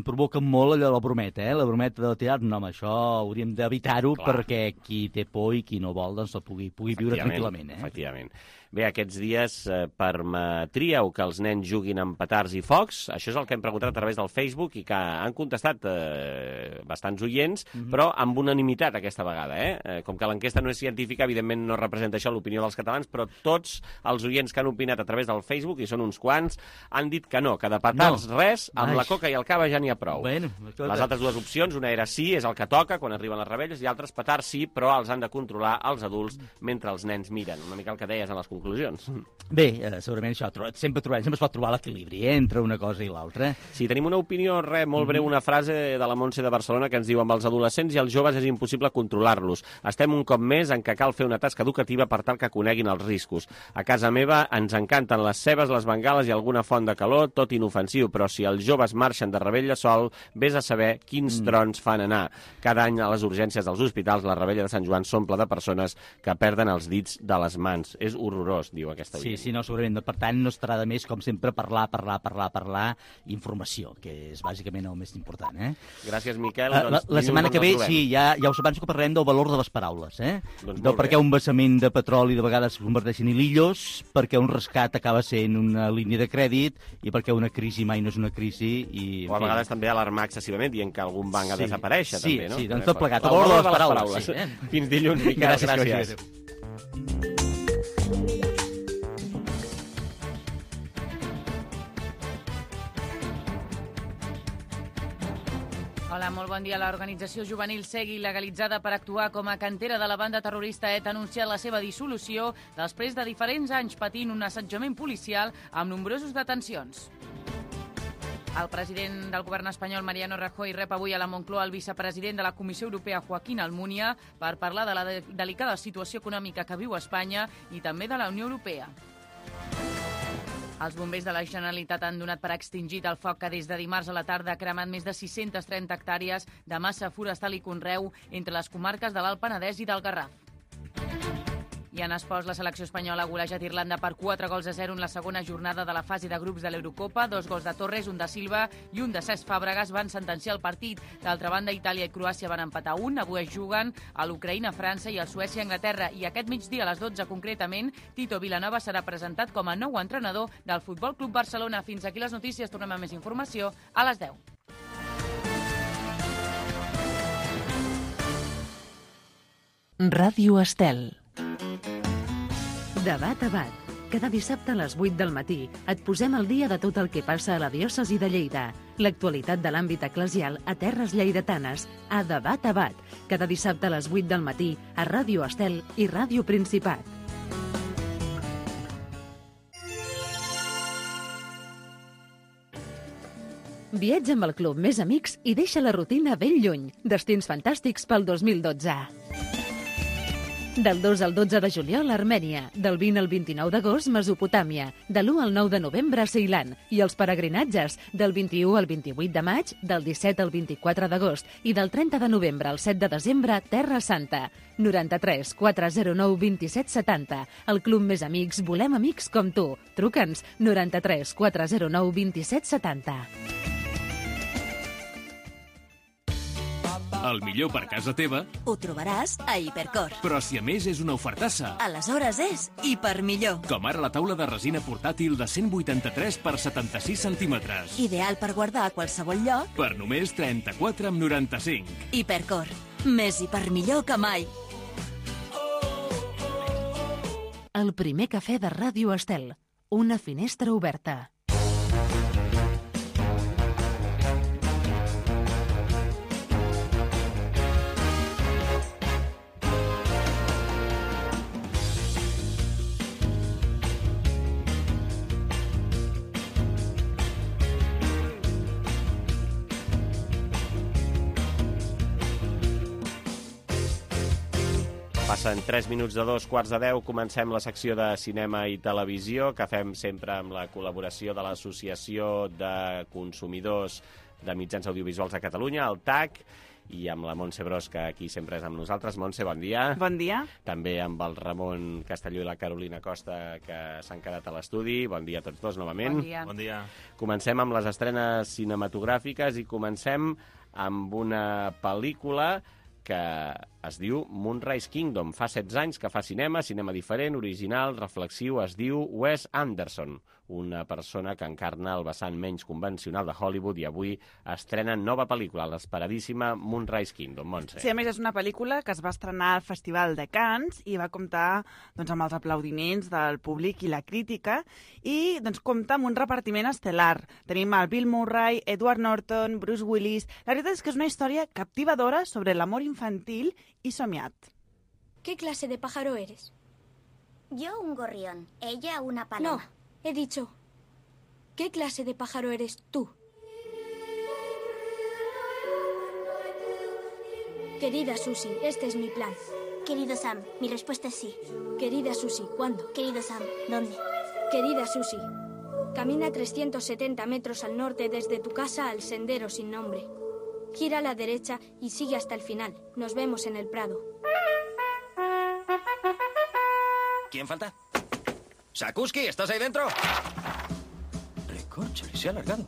provoquen molt allò de la brometa, la brometa de tirar, no, això hauríem d'evitar deixar-ho perquè qui té por i qui no vol doncs pugui viure tranquil·lament. Efectivament. Bé, aquests dies permetríeu que els nens juguin amb petards i focs? Això és el que hem preguntat a través del Facebook i que han contestat bastants oients, però amb unanimitat aquesta vegada. Com que l'enquesta no és científica, evidentment no representa això l'opinió dels catalans, però tots els oients que han opinat a través del Facebook, i són uns quants, han dit que no, que de petards res, amb la coca i el cava ja n'hi ha prou. Bueno, les altres dues opcions, una era sí, és el que toca quan arriben les rebelles, i altres petards sí, però els han de controlar els adults mentre els nens miren. Una mica el que deies en les conclusions. Bé, segurament això, sempre es pot trobar l'equilibri entre una cosa i l'altra. Sí, tenim una opinió, molt breu, una frase de la Montse de Barcelona que ens diu: amb els adolescents i els joves és impossible controlar-los. Estem un cop més en què cal fer una tasca educativa per tal que coneguin els riscos. A casa meva ens encanten les cebes, les bengales i alguna font de calor, tot inofensiu, però si els joves marxen de rebella sol, vés a saber quins trons fan anar. Cada any a les urgències dels hospitals la rebella de Sant Joan s'omple de persones que perden els dits de les mans. És horrorós, diu aquesta oient. Sí, no, segurament. Per tant, no estarà de més, com sempre, parlar, informació, que és bàsicament el més important. Gràcies, Miquel. La setmana que ve, sí, ja us avanço que parlarem del valor de les paraules, del per què un vessament de petroli de vegades es converteix en hilillos, perquè un rescat acaba sent una línia de crèdit i perquè una crisi mai no és una crisi. O a vegades també alarmar excessivament dient que algun banc ha de desaparèixer, també, no? Sí, doncs tot plegat. El valor de les paraules. Fins dilluns, Miquel. Gràcies. Hola, molt bon dia. L'organització juvenil Segui, legalitzada per actuar com a cantera de la banda terrorista ETA, ha anunciat la seva dissolució després de diferents anys patint un assetjament policial amb nombrosos detencions. El president del govern espanyol, Mariano Rajoy, rep avui a la Moncloa el vicepresident de la Comissió Europea, Joaquín Almunia, per parlar de la delicada situació econòmica que viu Espanya i també de la Unió Europea. Els bombers de la Generalitat han donat per extingit el foc que des de dimarts a la tarda ha cremat més de 630 hectàrees de massa forestal i conreu entre les comarques de l'Alt Penedès i del Garraf. I en esports, la selecció espanyola ha golejat Irlanda per 4-0 en la segona jornada de la fase de grups de l'Eurocopa. 2 gols de Torres, un de Silva i un de Cesc Fàbregas van sentenciar el partit. D'altra banda, Itàlia i Croàcia van empatar 1. Avui es juguen a l'Ucraïna, França i a Suècia, Anglaterra. I aquest migdia, a les 12 concretament, Tito Vilanova serà presentat com a nou entrenador del Futbol Club Barcelona. Fins aquí les notícies. Tornem amb més informació a les 10. Ràdio Estel. Debat a bat. Cada dissabte a les 8 del matí et posem al dia de tot el que passa a la diòcesi de Lleida. L'actualitat de l'àmbit eclesial a terres lleidatanes, a Debat a bat. Cada dissabte a les 8 del matí a Ràdio Estel i Ràdio Principat. Viatja amb el Club Més Amics i deixa la rutina ben lluny. Destins fantàstics pel 2012. Del 2 al 12 de juliol, Armènia. Del 20 al 29 d'agost, Mesopotàmia. De l'1 al 9 de novembre, Ceilan. I els peregrinatges, del 21 al 28 de maig, del 17 al 24 d'agost i del 30 de novembre al 7 de desembre, Terra Santa. 93 409 27 70. El Club Més Amics, volem amics com tu. Truca'ns 93 409 27 70. El millor per casa teva ho trobaràs a Hipercor. Però si a més és una ofertassa, aleshores és Hipermillor. Com ara la taula de resina portàtil de 183 per 76 centímetres. Ideal per guardar a qualsevol lloc. Per només 34,95. Hipercor. Més hipermillor que mai. El primer cafè de Ràdio Estel. Una finestra oberta. Passen 3 minuts de 2:15. Comencem la secció de cinema i televisió, que fem sempre amb la col·laboració de l'Associació de Consumidors de Mitjans Audiovisuals de Catalunya, el TAC, i amb la Montse Bros, que aquí sempre és amb nosaltres. Montse, bon dia. Bon dia. També amb el Ramon Castelló i la Carolina Costa, que s'han quedat a l'estudi. Bon dia a tots dos, novament. Bon dia. Bon dia. Comencem amb les estrenes cinematogràfiques i comencem amb una pel·lícula que es diu Moonrise Kingdom. Fa 16 anys que fa cinema diferent, original, reflexiu, es diu Wes Anderson, una persona que encarna el vessant menys convencional de Hollywood i avui estrena nova pel·lícula, l'esperadíssima Moonrise Kingdom. Montse. Sí, a més és una pel·lícula que es va estrenar al Festival de Cannes i va comptar amb els aplaudiments del públic i la crítica i compta amb un repartiment estel·lar. Tenim el Bill Murray, Edward Norton, Bruce Willis... La veritat és que és una història captivadora sobre l'amor infantil y somiat. ¿Qué clase de pájaro eres? Yo un gorrión, ella una paloma. No, he dicho, ¿qué clase de pájaro eres tú? Querida Susie, este es mi plan. Querido Sam, mi respuesta es sí. Querida Susie, ¿cuándo? Querido Sam, ¿dónde? Querida Susie, camina 370 metros al norte desde tu casa al sendero sin nombre. Gira a la derecha y sigue hasta el final. Nos vemos en el Prado. ¿Quién falta? Sakuski, ¿estás ahí dentro? Recorcholis, se ha alargado.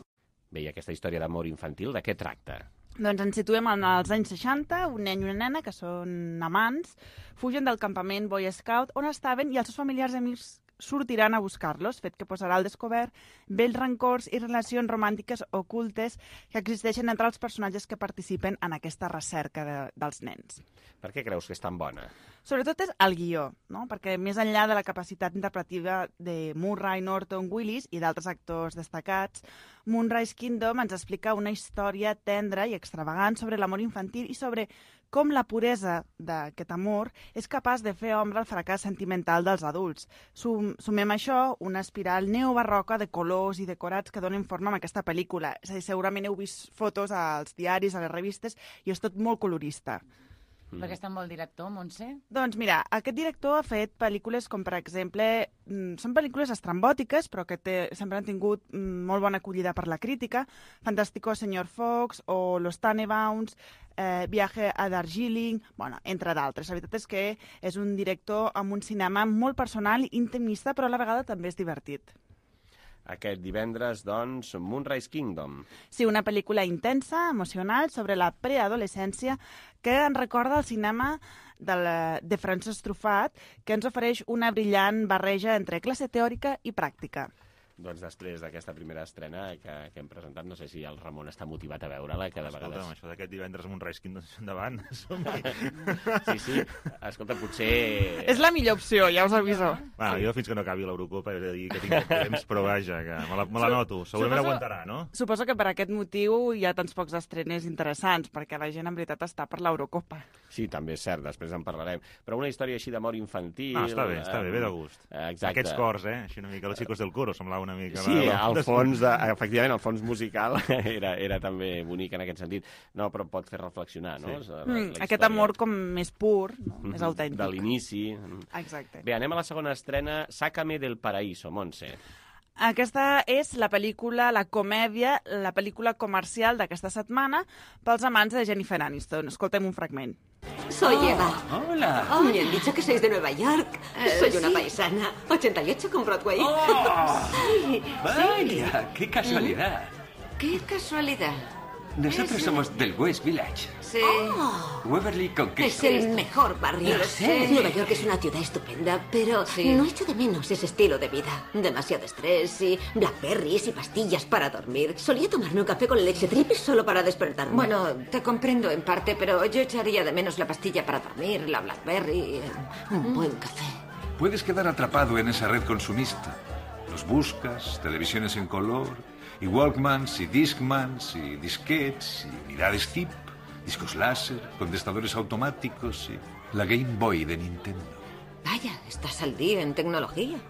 Bé, i aquesta història d'amor infantil, de què tracta? Doncs ens situem als anys 60, un nen i una nena, que són amants, fugen del campament Boy Scout on estaven i els seus familiars i amics sortiran a buscar-los, fet que posarà al descobert vells rancors i relacions romàntiques ocultes que existeixen entre els personatges que participen en aquesta recerca dels nens. Per què creus que és tan bona? Sobretot és el guió, no? Perquè més enllà de la capacitat interpretativa de Murray, Norton, Willis i d'altres actors destacats, Moonrise Kingdom ens explica una història tendra i extravagant sobre l'amor infantil i sobre com la puresa d'aquest amor és capaç de fer ombra al fracàs sentimental dels adults. Sumem a això una espiral neobarroca de colors i decorats que donen forma a aquesta pel·lícula. És a dir, segurament heu vist fotos als diaris, a les revistes, i és tot molt colorista. Per què és tan bon director, Montse? Doncs mira, aquest director ha fet pel·lícules com, per exemple, són pel·lícules estrambòtiques, però que sempre han tingut molt bona acollida per la crítica, Fantástico Señor Fox o Los Tannenbaums, Viaje a Darjeeling, bueno, entre d'altres. La veritat és que és un director amb un cinema molt personal, intimista, però a la vegada també és divertit. Aquest divendres, doncs, Moonrise Kingdom. Sí, una pel·lícula intensa, emocional, sobre la preadolescència, que ens recorda el cinema de Francesc Truffaut, que ens ofereix una brillant barreja entre classe teòrica i pràctica. Doncs després d'aquesta primera estrena que hem presentat, no sé si el Ramon està motivat a veure-la, que de vegades... Escolta'm, això d'aquest divendres Moonrise Kingdom, endavant. Sí, escolta, potser... És la millor opció, ja us aviso. Bueno, jo fins que no acabi l'Eurocopa he de dir que tinc temps, però vaja, que me la noto. Segurament aguantarà, no? Suposo que per aquest motiu hi ha tants pocs estrenes interessants, perquè la gent en veritat està per l'Eurocopa. Sí, també és cert, després en parlarem. Però una història així d'amor infantil... Està bé, ve de gust. Exacte. Aquests cors, així una mica, los chicos del coro, semblava una mica... Sí, efectivament, el fons musical era també bonic en aquest sentit. No, però pot fer reflexionar, no? Sí. Aquest amor com més pur, no? Més autèntic. De l'inici. Exacte. Bé, anem a la segona estrena, Sácame del Paraíso, Montse. Aquesta és la pel·lícula, la comèdia, la pel·lícula comercial d'aquesta setmana pels amants de Jennifer Aniston. Escoltem un fragment. Soy Eva. Hola. Me han dicho que sois de Nueva York. Soy una paisana. 88 con Broadway. Sí. Vaya, qué casualidad. ¿Qué casualidad? Nosotros somos del West Village. Sí. Waverly Conquista. Es el mejor barrio. Lo sé. Nueva York es una ciudad estupenda, pero no echo de menos ese estilo de vida. Demasiado estrés y blackberries y pastillas para dormir. Solía tomarme un café con leche triple solo para despertarme. Bueno, te comprendo en parte, pero yo echaría de menos la pastilla para dormir, la blackberry, un buen café. Puedes quedar atrapado en esa red consumista. Los buscas, televisiones en color, y Walkmans, y Discmans, y disquets, y unidades TIP, discos láser, contestadores automáticos y la Game Boy de Nintendo. Vaya, estás al día en tecnología.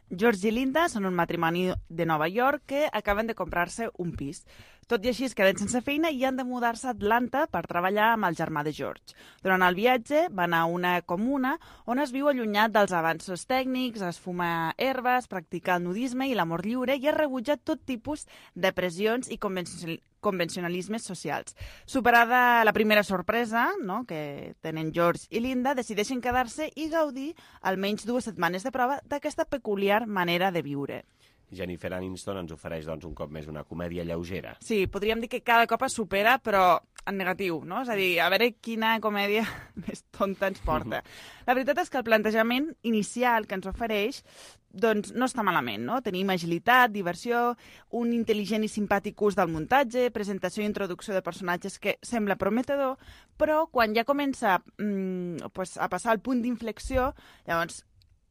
George i Linda són un matrimoni de Nova York que acaben de comprar-se un pis. Tot i així es queden sense feina i han de mudar-se a Atlanta per treballar amb el germà de George. Durant el viatge van a una comuna on es viu allunyat dels avanços tècnics, es fuma herbes, practica el nudisme i l'amor lliure i es rebutja tot tipus de pressions i convencionalismes socials. Superada la primera sorpresa, no?, que tenen George i Linda, decideixen quedar-se i gaudir almenys 2 setmanes de prova d'aquesta peculiar manera de viure. Jennifer Aniston ens ofereix, doncs, un cop més una comèdia lleugera. Sí, podríem dir que cada cop es supera, però en negatiu, no? És a dir, a veure quina comèdia més tonta ens porta. La veritat és que el plantejament inicial que ens ofereix doncs no està malament, no? Tenim agilitat, diversió, un intel·ligent i simpàtic ús del muntatge, presentació i introducció de personatges que sembla prometedor, però quan ja comença a passar el punt d'inflexió, llavors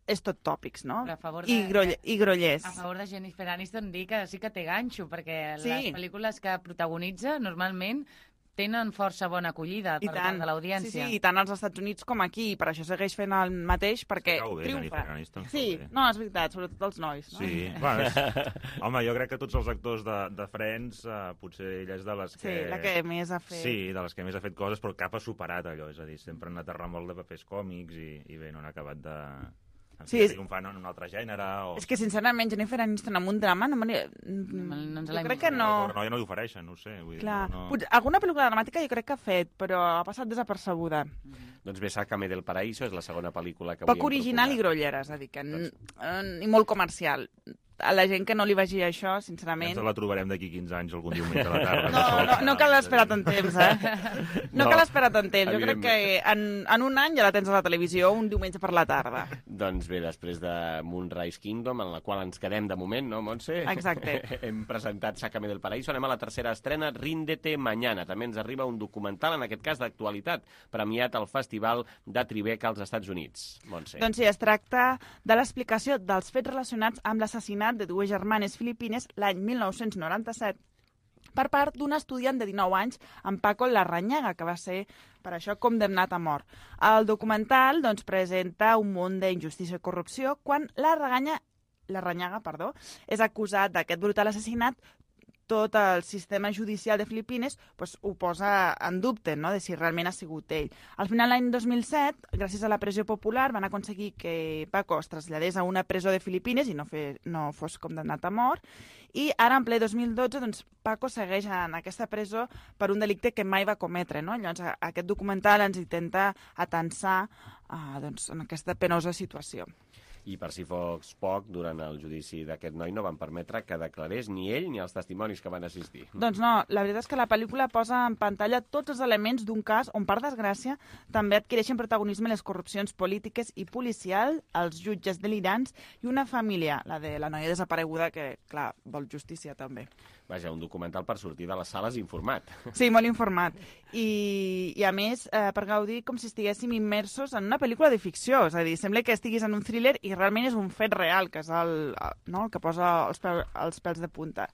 és tot tòpics, no? I grollers. A favor de Jennifer Aniston dir que sí que té ganxo, perquè Sí. les pel·lícules que protagonitza normalment tenen força bona acollida per part de l'audiència. Sí, tant als Estats Units com aquí, i per això segueix fent el mateix, perquè Cau bé, triomfa. Jennifer Aniston, Sí, cau bé. no, és veritat, sobretot els nois. No? Sí, bueno, home, jo crec que tots els actors de Friends, potser ella és de les que... Sí, la que més ha fet. Sí, de les que més ha fet coses, però cap ha superat allò, és a dir, sempre han anat a remolc de papers còmics i bé, no han acabat de... Sí, triomfant en un altre gènere o... És que, sincerament, Jennifer Aniston amb un drama no jo crec que no... Però no, ja no li ofereixen, no ho sé. Vull dir, Clar, no... alguna pel·lícula dramàtica jo crec que ha fet, però ha passat desapercebuda. Doncs bé, Sácame del Paraíso és la segona pel·lícula que Poc original i grollera, és a dir, que i molt comercial. A la gent que no li vagi això, sincerament... Ens la trobarem d'aquí 15 anys, algun diumenge a la tarda. No cal esperar tant temps, No cal esperar tant temps. Jo crec que en un any ja la tens a la televisió un diumenge per la tarda. Doncs bé, després de Moonrise Kingdom, en la qual ens quedem de moment, no, Montse? Exacte. Hem presentat Sácame del Paraíso, anem a la tercera estrena, Ríndete Mañana. També ens arriba un documental, en aquest cas d'actualitat, premiat al Festival de Tribeca als Estats Units. Montse. Doncs sí, es tracta de l'explicació dels fets relacionats amb l'assassinat de dues germanes filipines l'any 1997 per part d'un estudiant de 19 anys, en Paco Larrañaga, que va ser per això condemnat a mort. El documental doncs, presenta un munt d'injustícia i corrupció quan Larrañaga és acusat d'aquest brutal assassinat. Tot el sistema judicial de Filipines doncs, ho posa en dubte, no?, de si realment ha sigut ell. Al final, l'any 2007, gràcies a la pressió popular, van aconseguir que Paco es traslladés a una presó de Filipines i no fos condemnat a mort. I ara, en ple 2012, doncs, Paco segueix en aquesta presó per un delicte que mai va cometre. No? Llavors, aquest documental ens intenta atensar doncs, en aquesta penosa situació. I per si fos poc, durant el judici d'aquest noi no van permetre que declarés ni ell ni els testimonis que van assistir. Doncs no, la veritat és que la pel·lícula posa en pantalla tots els elements d'un cas on, per desgràcia, també adquireixen protagonisme les corrupcions polítiques i policial, els jutges delirants i una família, la de la noia desapareguda, que, clar, vol justícia també. Vaja, un documental per sortir de les sales informat. Sí, molt informat. I a més, per gaudir com si estiguéssim immersos en una pel·lícula de ficció. És a dir, sembla que estiguis en un thriller i realment és un fet real, que és el que posa els pèls de punta.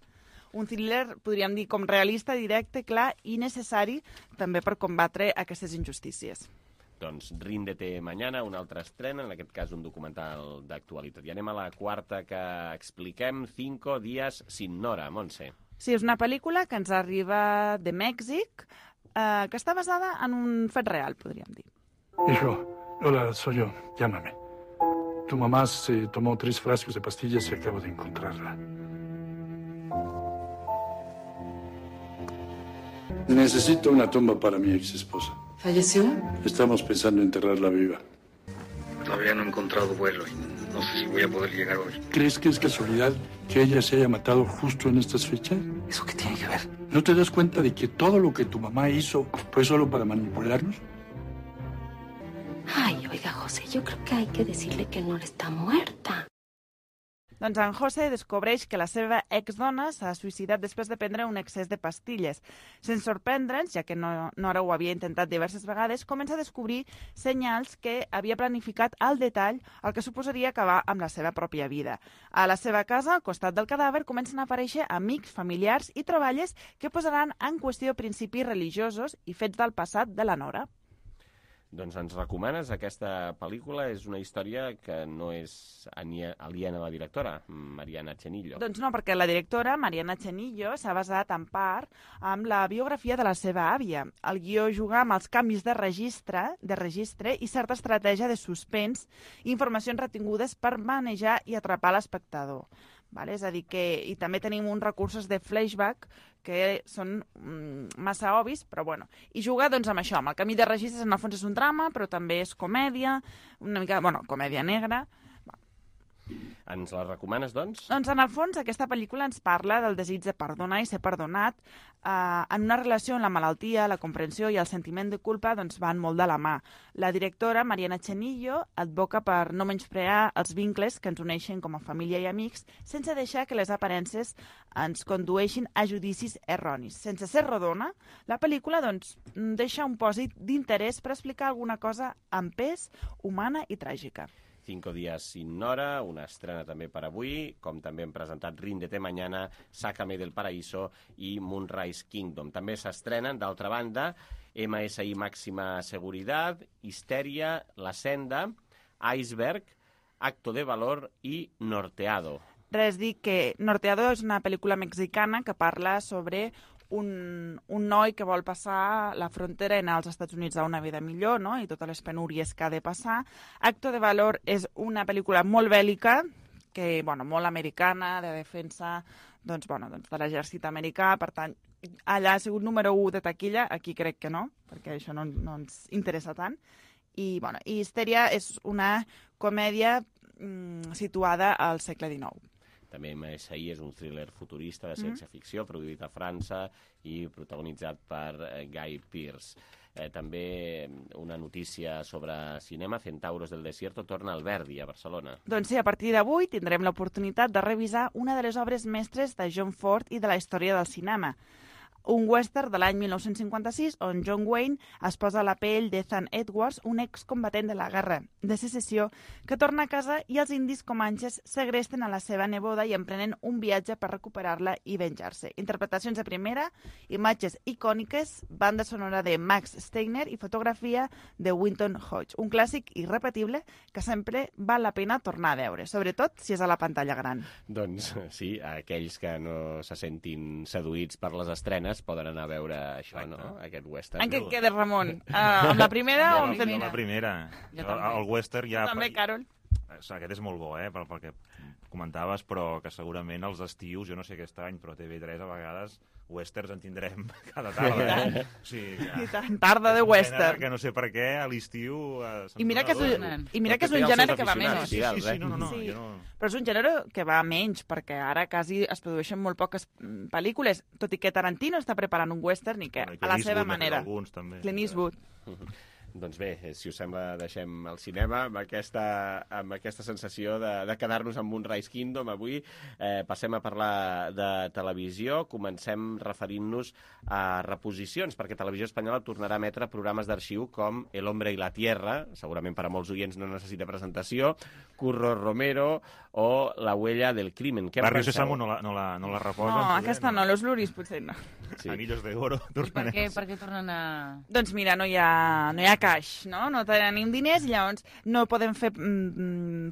Un thriller, podríem dir, com realista, directe, clar i necessari també per combatre aquestes injustícies. Doncs Ríndete Mañana, una altra estrena, en aquest cas un documental d'actualitat. I anem a la quarta que expliquem, 5 días sin Nora, Montse. Sí, és una pel·lícula que ens arriba de Mèxic, que està basada en un fet real, podríem dir. Hijo, hola, soy yo. Llámame. Tu mamá se tomó 3 frascos de pastillas y acabo de encontrarla. Necesito una tumba para mi ex esposa. ¿Falleció? Estamos pensando en enterrarla viva. Todavía no he encontrado vuelo y no sé si voy a poder llegar hoy. ¿Crees que es casualidad que ella se haya matado justo en estas fechas? ¿Eso qué tiene que ver? ¿No te das cuenta de que todo lo que tu mamá hizo fue solo para manipularnos? Ay, oiga, José, yo creo que hay que decirle que no está muerta. Doncs en José descobreix que la seva exdona s'ha suïcidat després de prendre un excés de pastilles. Sense sorprendre'ns, ja que Nora ho havia intentat diverses vegades, comença a descobrir senyals que havia planificat al detall el que suposaria acabar amb la seva pròpia vida. A la seva casa, al costat del cadàver, comencen a aparèixer amics, familiars i troballes que posaran en qüestió principis religiosos i fets del passat de la Nora. Doncs ens recomanes aquesta pel·lícula. És una història que no és aliena a la directora, Mariana Chenillo. Doncs no, perquè la directora, Mariana Chenillo, s'ha basat en part amb la biografia de la seva àvia. El guió juga amb els canvis de registre i certa estratègia de suspens i informacions retingudes per manejar i atrapar l'espectador. Vale? És a dir, que i també tenim uns recursos de flashback que són massa obvis, però bueno. I juga doncs amb això, amb el canvi de registres, en el fons és un drama, però també és comèdia, una mica, bueno, comèdia negra. Ens la recomanes, doncs? Doncs, en el fons, aquesta pel·lícula ens parla del desig de perdonar i ser perdonat en una relació on la malaltia, la comprensió i el sentiment de culpa doncs, van molt de la mà. La directora, Mariana Chenillo, advoca per no menysprear els vincles que ens uneixen com a família i amics sense deixar que les aparences ens condueixin a judicis erronis. Sense ser rodona, la pel·lícula doncs, deixa un pòsit d'interès per explicar alguna cosa amb pes, humana i tràgica. 5 días sin Nora, una estrena també per avui, com també hem presentat Ríndete Mañana, Sácame del Paraíso i Moonrise Kingdom. També s'estrenen, d'altra banda, MSI Máxima Seguridad, Histeria, La Senda, Iceberg, Acto de Valor i Norteado. Res, dic que Norteado és una pel·lícula mexicana que parla sobre un noi que vol passar la frontera i anar als Estats Units a una vida millor, no? I totes les penúries que ha de passar. Acto de Valor és una pel·lícula molt bèl·lica, que, bueno, molt americana, de defensa doncs, bueno, de l'exèrcit americà. Per tant, allà ha sigut número 1 de taquilla, aquí crec que no, perquè això no ens interessa tant. I, bueno, i Histeria és una comèdia situada al segle XIX. També MSI és un thriller futurista de ciència-ficció, produït a França i protagonitzat per Guy Pearce. També una notícia sobre cinema, Centauros del Desierto torna al Verdi, a Barcelona. Doncs sí, a partir d'avui tindrem l'oportunitat de revisar una de les obres mestres de John Ford i de la història del cinema. Un western de l'any 1956 on John Wayne es posa a la pell d'Ethan Edwards, un excombatent de la guerra de secessió, que torna a casa i els indis comanxes segresten a la seva neboda i emprenen un viatge per recuperar-la i venjar-se. Interpretacions de primera, imatges icòniques, banda sonora de Max Steiner i fotografia de Winton Hodge. Un clàssic irrepetible que sempre val la pena tornar a veure, sobretot si és a la pantalla gran. Doncs sí, aquells que no se sentin seduïts per les estrenes poden anar a veure això, no? Aquest western. En què et quedes, Ramon? Amb la primera o amb la primera? El western ja... També, Carol. Aquest és molt bo, pel que comentaves, però que segurament els estius, jo no sé aquest any, però TV3 a vegades westerns en tindrem cada tarda. I tant, tarda de western. Que no sé per què a l'estiu... I mira que és un gènere que va menys. Sí, no. Però és un gènere que va menys, perquè ara quasi es produeixen molt poques pel·lícules, tot i que Tarantino està preparant un western i que a la seva manera. Clint Eastwood. Doncs bé, si us sembla, deixem el cinema amb aquesta sensació de quedar-nos amb Moonrise Kingdom avui. Passem a parlar de televisió. Comencem referint-nos a reposicions, perquè Televisió Espanyola tornarà a emetre programes d'arxiu com El hombre y la tierra, segurament per a molts oients no necessita presentació, Curro Romero o La huella del crimen. Barrio Sésamo no la reposen. No, aquesta no, Los Luris potser no. Anillos de oro. Per què tornen a...? Doncs mira, no hi ha caix, no? No tenim diners i llavors no podem fer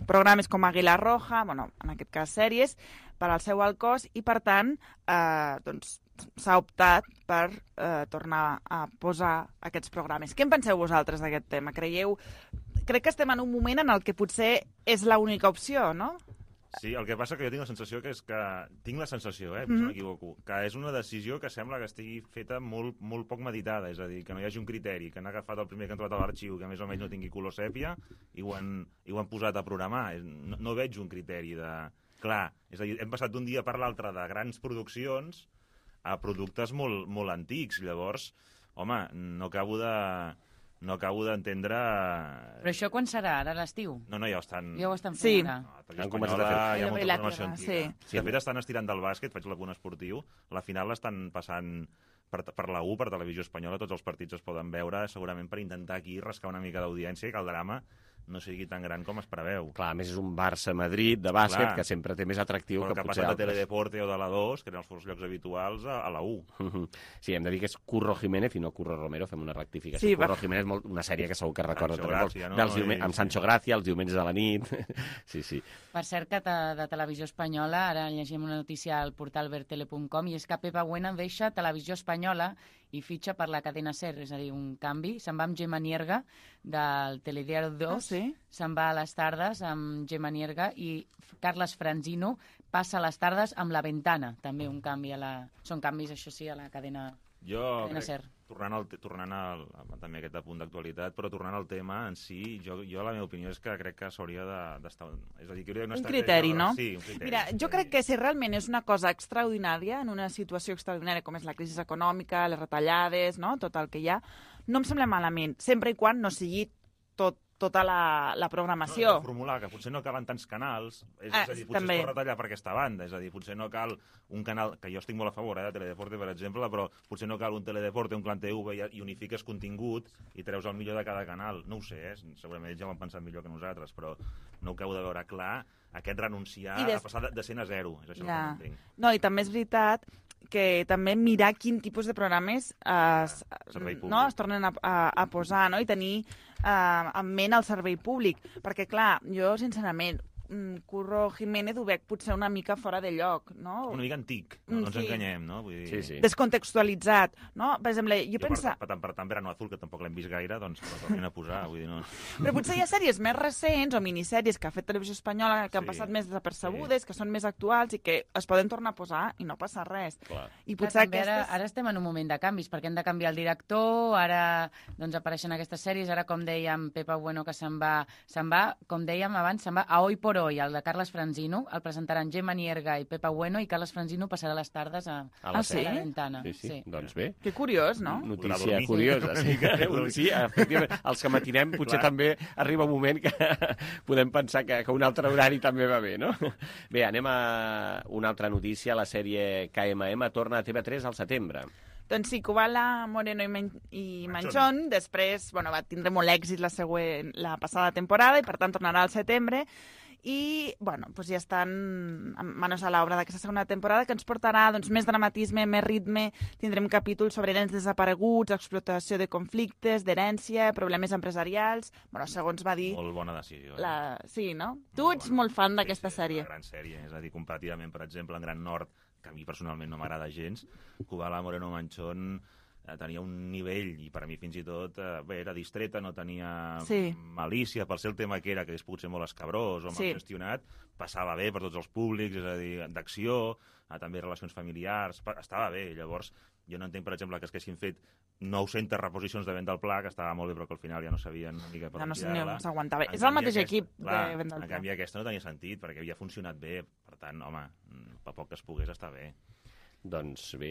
programes com Águila Roja, bueno, en aquest cas sèries, per al seu alt cost i, per tant, doncs s'ha optat per tornar a posar aquests programes. Què en penseu vosaltres d'aquest tema? Crec que estem en un moment en el que potser és l'única opció, no? Sí, el que passa que jo tinc la sensació que no m'equivoco, que és una decisió que sembla que estigui feta molt poc meditada, és a dir, que no hi hagi un criteri, que han agafat el primer que han trobat a l'arxiu, que més o menys no tingui color sèpia, i ho han posat a programar. No veig un criteri de... Clar, és a dir, hem passat d'un dia per l'altre de grans produccions a productes molt antics. Llavors, home, no acabo d'entendre... Però això quan serà? Ara a l'estiu? No, ja ho estan... Ja ho estan fent ara. Han començat a fer. Hi ha molta formació antiga. De fet, estan estirant del bàsquet, faig l'apunt esportiu, la final l'estan passant per la U, per Televisió Espanyola, tots els partits es poden veure, segurament per intentar aquí rascar una mica d'audiència i que el drama no sigui tan gran com es preveu. Clar, a més és un Barça-Madrid de bàsquet que sempre té més atractiu que potser altres. El que passa de Teledeporte o de la 2, que eren els llocs habituals, a la 1. Sí, hem de dir que és Curro Jiménez i no Curro Romero, fem una rectificació. Curro Jiménez, una sèrie que segur que recorda amb Sancho Gracia, els diumenges a la nit. Sí. Per cert, que de Televisió Espanyola, ara llegim una notícia al portal vertele.com, i és que Pepa Buena deixa Televisió Espanyola i fitxa per la cadena SER, és a dir, un canvi. Se'n va amb Gemma Nierga, del Telediario 2, se'n va a les tardes amb Gemma Nierga, i Carles Franzino passa a les tardes amb La Ventana, també un canvi Són canvis, això sí, a la cadena SER. tornant també a aquest punt d'actualitat, però tornant al tema en si, jo la meva opinió és que crec que s'hauria d'estar... És a dir, que un criteri, no? Sí, un criteri. Mira, jo crec que si realment és una cosa extraordinària, en una situació extraordinària com és la crisi econòmica, les retallades, no? Tot el que hi ha, no em sembla malament, sempre i quan no sigui tota la programació. No, formular que potser no calen tants canals, és a dir, potser es pot retallar per aquesta banda, és a dir, potser no cal un canal, que jo estic molt a favor de Teledeporte, per exemple, però potser no cal un Teledeporte, un Clan TV i unifiques contingut i treus el millor de cada canal. No ho sé, segurament ells ja ho han pensat millor que nosaltres, però no ho acabo de veure clar, aquest renunciar a passar de 100 a 0, és això el que no entenc. No, i també és veritat que també mirar quin tipus de programes es tornen a posar, no? I tenir en ment el servei públic. Perquè, clar, jo, sincerament, Curro Jiménez ho veig potser una mica fora de lloc, no? Una mica antic, no ens enganyem, no? Vull dir... Sí. Descontextualitzat, no? Per exemple, jo penso... Per tant, Verano Azul, que tampoc l'hem vist gaire, doncs la tornin a posar, vull dir, no... Però potser hi ha sèries més recents o minissèries que ha fet Televisió Espanyola que han passat més desapercebudes, que són més actuals i que es poden tornar a posar i no passa res. Clar. I potser ara estem en un moment de canvis, perquè hem de canviar el director, ara doncs apareixen aquestes sèries, ara com dèiem, Pepa Bueno que se'n va, com dèiem abans, se'n va a Hoy por Hoy, el de Carles Franzino, el presentaran Gemma Nierga i Pepa Bueno, i Carles Franzino passarà les tardes a la Ventana. Sí. Doncs bé. Que curiós, no? Notícia curiosa. Sí, efectivament. Els que matinem potser també arriba un moment que podem pensar que un altre horari també va bé, no? Bé, anem a una altra notícia. La sèrie KMM torna a TV3 al setembre. Doncs sí, Kubala, Moreno i Manchón, després va tindre molt èxit la passada temporada i per tant tornarà al setembre. I, ja estan manos a l'obra d'aquesta segona temporada, que ens portarà més dramatisme, més ritme, tindrem capítols sobre nens desapareguts, explotació de conflictes, d'herència, problemes empresarials, segons va dir... Molt bona decisió. Sí, no? Tu ets molt fan d'aquesta sèrie. Una gran sèrie, és a dir, comparativament, per exemple, en Gran Nord, que a mi personalment no m'agrada gens, Kubala, Moreno, Manchón tenia un nivell, i per a mi fins i tot era distreta, no tenia malícia, per ser el tema que era, que és potser molt escabrós o mal gestionat, passava bé per tots els públics, és a dir, d'acció, també relacions familiars, estava bé. Llavors, jo no entenc, per exemple, que es haguessin fet 900 reposicions de Vent del Pla, que estava molt bé, però que al final ja no sabien una mica per on tirar-la. No s'aguantava. És el mateix equip de Vent del Pla. En canvi, aquesta no tenia sentit, perquè havia funcionat bé. Per tant, home, per poc que es pogués, està bé. Doncs bé,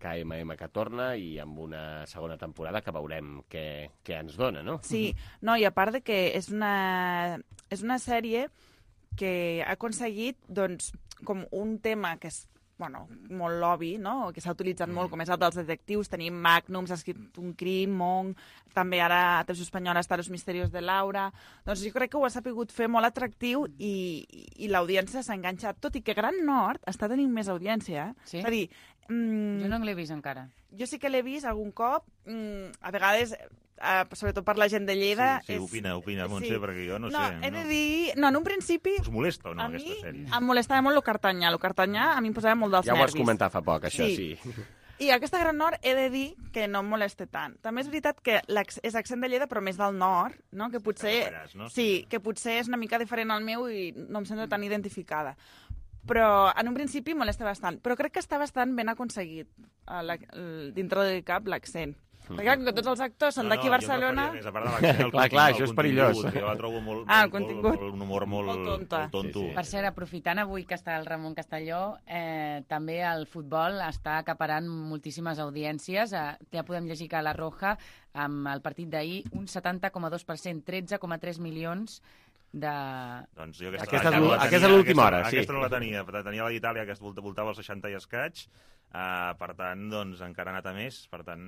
KMM que torna i amb una segona temporada que veurem què ens dona, no? Sí, no, i a part de que és una sèrie que ha aconseguit com un tema que és molt obvi, no? Que s'ha utilitzat molt, com és el dels detectius. Tenim Magnum, s'ha escrit un crim, Monk, també ara a Televisió Espanyola està Los Misterios de Laura. Doncs jo crec que ho ha sapigut fer molt atractiu i l'audiència s'ha enganxat, tot i que Gran Nord està tenint més audiència. Sí? És a dir... Jo no l'he vist encara. Jo sí que l'he vist algun cop, a vegades... sobretot per la gent de Lleida... Sí, opina, Montse, perquè jo no sé. He de dir... No, en un principi... Us molesta o no, aquesta sèrie? Em molestava molt L'Ocartanyà. L'Ocartanyà a mi em posava molt dels nervis. Ja ho vas comentar fa poc, això, sí. I aquesta Gran Nord he de dir que no em molesta tant. També és veritat que és accent de Lleida, però més del nord, no? Que potser... Sí, que potser és una mica diferent al meu i no em sento tan identificada. Però en un principi molesta bastant. Però crec que està bastant ben aconseguit dintre del cap l'accent. Perquè que tots els actors són d'aquí a Barcelona... Jo a part de l'accent, clar, això és perillós. Jo la trobo un humor molt tonto. Per cert, aprofitant avui que està el Ramon Castelló, també el futbol està acaparant moltíssimes audiències. Ja podem llegir que La Roja, amb el partit d'ahir, un 70,2%, 13,3 milions de... Doncs jo aquesta és l'última hora, sí. Aquesta no la tenia. Tenia la d'Itàlia, que voltava els 60 i escaig. Per tant, doncs, encara ha anat a més. Per tant,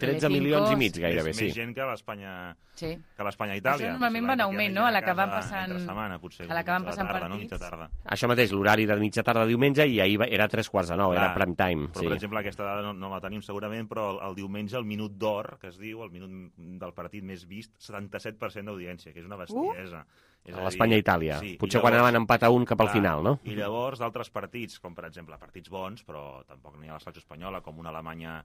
13 milions i mig, gairebé, sí. Més gent que l'Espanya-Itàlia. Això normalment va en augment, no? A la que van passant... A la que van passant partits. Això mateix, l'horari de mitja tarda diumenge, i ahir era 3:45, era prime time. Però, per exemple, aquesta dada no la tenim segurament, però el diumenge, el minut d'or, que es diu, el minut del partit més vist, 77% d'audiència, que és una bestiesa. A l'Espanya-Itàlia. Potser quan anaven empat a un cap al final, no? I llavors d'altres partits, com per exemple partits bons, però tampoc n'hi ha a la selecció espanyola, com una Alemanya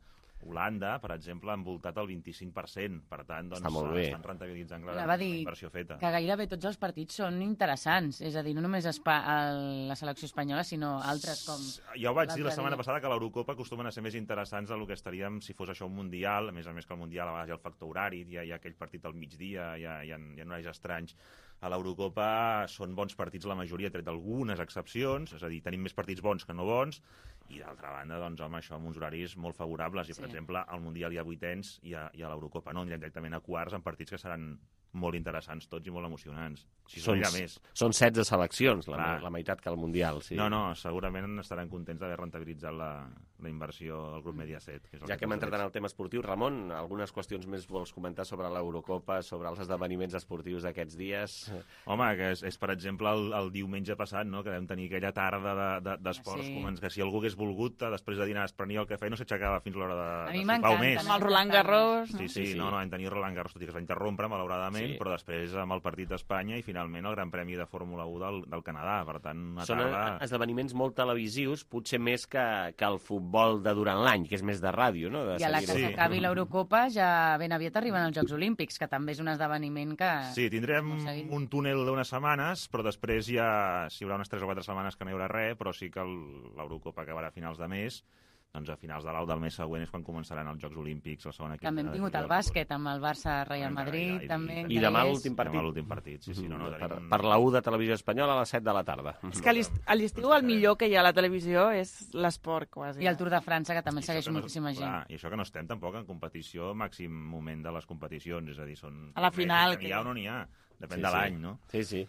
Holanda, per exemple, ha envoltat el 25%. Per tant, doncs, estan rentabilitzant la inversió feta. Que gairebé tots els partits són interessants. És a dir, no només la selecció espanyola, sinó altres com... Ja ho vaig dir la setmana passada, que l'Eurocopa acostumen a ser més interessants del que estaríem si fos això un Mundial. A més que el Mundial a vegades hi ha el factor horari, hi ha aquell partit al migdia, hi ha horaris estranys. A l'Eurocopa són bons partits la majoria, tret d'algunes excepcions, és a dir, tenim més partits bons que no bons, i d'altra banda, doncs, home, això amb uns horaris molt favorables, i per exemple, al Mundial hi ha vuitens i a l'Eurocopa no, anirem directament a quarts en partits que seran molt interessants tots i molt emocionants. Són 16 seleccions, la meitat que al Mundial. Sí. No, segurament estaran contents d'haver rentabilitzat la inversió del grup Mediaset. Ja que hem entrat en el tema esportiu, Ramon, algunes qüestions més vols comentar sobre l'Eurocopa, sobre els esdeveniments esportius d'aquests dies? Home, que és per exemple, el diumenge passat, no?, que vam tenir aquella tarda d'esports, que si algú hagués volgut, després de dinar es prenia el cafè i no s'aixecava fins a l'hora de sopar o més. Amb el Roland Garros. Sí, no, vam tenir Roland Garros, tot i que es va interrompre, malauradament, però després amb el partit d'Espanya i finalment el Gran Premi de Fórmula 1 del Canadà. Per tant, són esdeveniments molt televisius, potser més que el futbol de durant l'any, que és més de ràdio, no? I a la que s'acabi l'Eurocopa ja ben aviat arriben els Jocs Olímpics, que també és un esdeveniment que... Sí, tindrem un túnel d'unes setmanes, però després ja hi haurà unes 3 o 4 setmanes que no hi haurà res, però sí que l'Eurocopa acabarà a finals de mes. Doncs a finals del mes següent és quan començaran els Jocs Olímpics, la segona També hem tingut el bàsquet amb el Barça-Real Madrid. I demà l'últim partit. Per la 1 de Televisió Espanyola a les 7 de la tarda. És que a l'estiu el millor que hi ha a la televisió és l'esport, quasi. I el Tour de França, que també segueix moltíssima gent. I això que no estem tampoc en competició, màxim moment de les competicions, és a dir, són... A la final... N'hi ha o no n'hi ha. Depèn de l'any, no? Sí.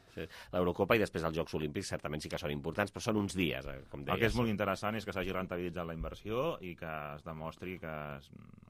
L'Eurocopa i després els Jocs Olímpics certament sí que són importants, però són uns dies, com deies. El que és molt interessant és que s'hagi rentabilitzat la inversió i que es demostri que,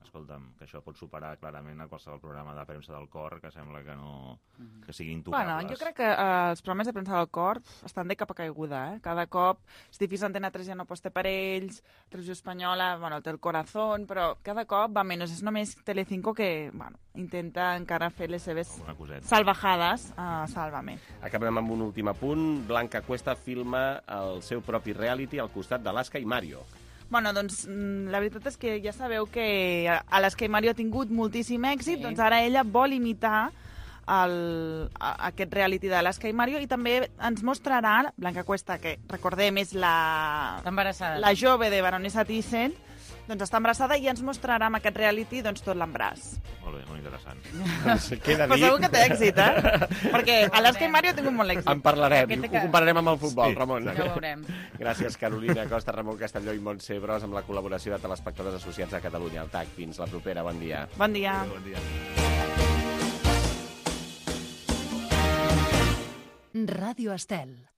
escolta'm, que això pot superar clarament a qualsevol programa de premsa del cor, que sembla que no... que siguin intocables. Bueno, jo crec que els programes de premsa del cor estan de capa caiguda, eh? Cada cop, és difícil, Antena 3 ja no aposta per ells, Televisió Espanyola, bueno, té el corazón, però cada cop va menys. És només Telecinco que, bueno, intenta encara fer les seves salvajades a Sálvame. Acabem amb un últim apunt. Blanca Cuesta filma el seu propi reality al costat d'Alaska i Mario. Bueno, doncs la veritat és que ja sabeu que Alaska i Mario ha tingut moltíssim èxit, doncs ara ella vol imitar aquest reality d'Alaska i Mario i també ens mostrarà Blanca Cuesta, que recordem és la jove de Baronessa Thyssen, doncs està embarassada i ens mostrarà amb aquest reality doncs, tot l'embràs. Molt bé, molt interessant. Però segur que té èxit, Perquè Alaska i Mario ha tingut molt èxit. En parlarem, ho compararem amb el futbol, Ramon. Ja ho veurem. Gràcies, Carolina Costa, Ramon Castelló i Montse Bros, amb la col·laboració de Telespectadors Associats a Catalunya, al TAC. Fins la propera, bon dia. Bon dia. Bon dia. Ràdio Estel.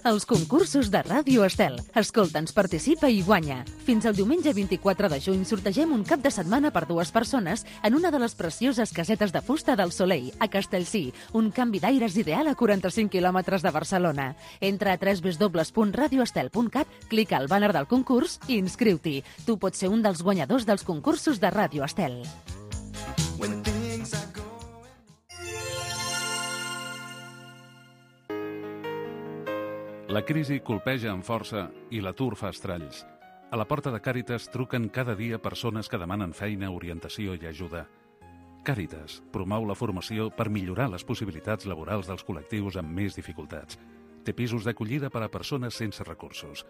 Els concursos de Ràdio Estel. Escolta'ns, participa i guanya. Fins al diumenge 24 de juny sortegem un cap de setmana per 2 persones en una de les precioses casetes de fusta del Soleil, a Castellcí, un canvi d'aires ideal a 45 quilòmetres de Barcelona. Entra a www.radioestel.cat, clica al banner del concurs i inscriu-t'hi. Tu pots ser un dels guanyadors dels concursos de Ràdio Estel. La crisi colpeja amb força i l'atur fa estralls. A la porta de Càritas truquen cada dia persones que demanen feina, orientació i ajuda. Càritas promou la formació per millorar les possibilitats laborals dels col·lectius amb més dificultats. Té pisos d'acollida per a persones sense recursos.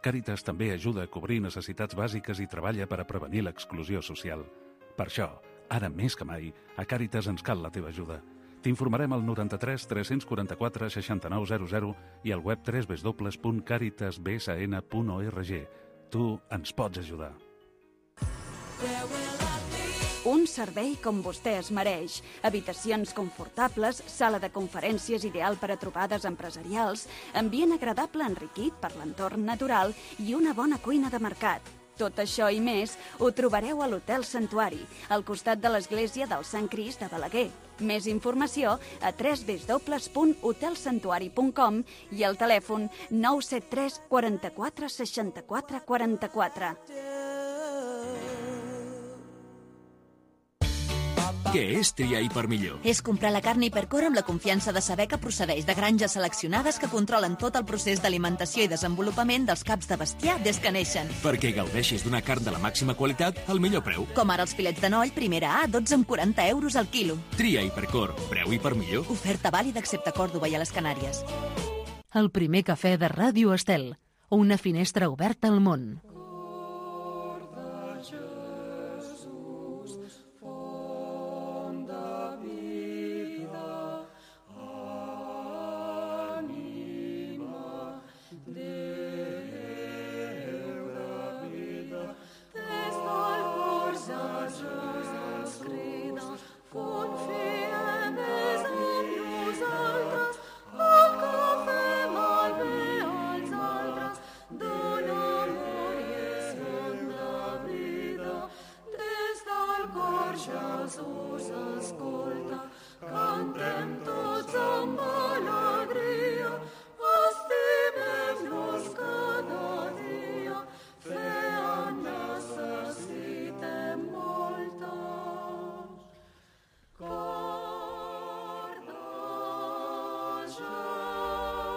Càritas també ajuda a cobrir necessitats bàsiques i treballa per a prevenir l'exclusió social. Per això, ara més que mai, a Càritas ens cal la teva ajuda. T'informarem al 93 344 6900 i al web www.caritasbsn.org. Tu ens pots ajudar. Un servei com vostè es mereix. Habitacions confortables, sala de conferències ideal per a trobades empresarials, ambient agradable enriquit per l'entorn natural i una bona cuina de mercat. Tot això i més ho trobareu a l'Hotel Santuari, al costat de l'església del Sant Crist de Balaguer. Més informació a www.hotelsantuari.com i al telèfon 973 44 64 44. Què és triar i per millor? És comprar la carn Hipercor amb la confiança de saber que procedeix de granges seleccionades que controlen tot el procés d'alimentació i desenvolupament dels caps de bestiar des que neixen. Perquè gaudeixis d'una carn de la màxima qualitat al millor preu. Com ara els filets de noll, primera A, 12,40 € al quilo. Tria Hipercor, preu i per millor. Oferta vàlida excepte Còrdova i a les Canàries. El primer cafè de Ràdio Estel, una finestra oberta al món.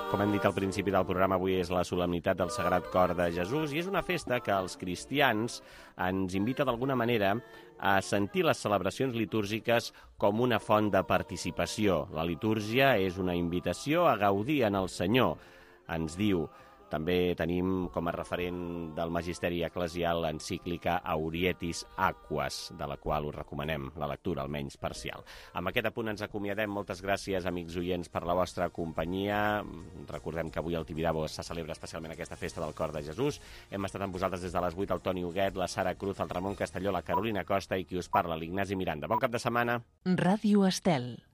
Com hem dit al principi del programa, avui és la solemnitat del Sagrat Cor de Jesús i és una festa que els cristians ens invita d'alguna manera a sentir les celebracions litúrgiques com una font de participació. La litúrgia és una invitació a gaudir en el Senyor, ens diu. També tenim com a referent del Magisteri Eclesial l'encíclica Aurietis Aquas, de la qual us recomanem la lectura, almenys parcial. Amb aquest apunt ens acomiadem. Moltes gràcies, amics oients, per la vostra companyia. Recordem que avui al Tibidabo se celebra especialment aquesta festa del Cor de Jesús. Hem estat amb vosaltres des de les 8, el Toni Huguet, la Sara Cruz, el Ramon Castelló, la Carolina Costa i qui us parla, l'Ignasi Miranda. Bon cap de setmana. Ràdio Estel.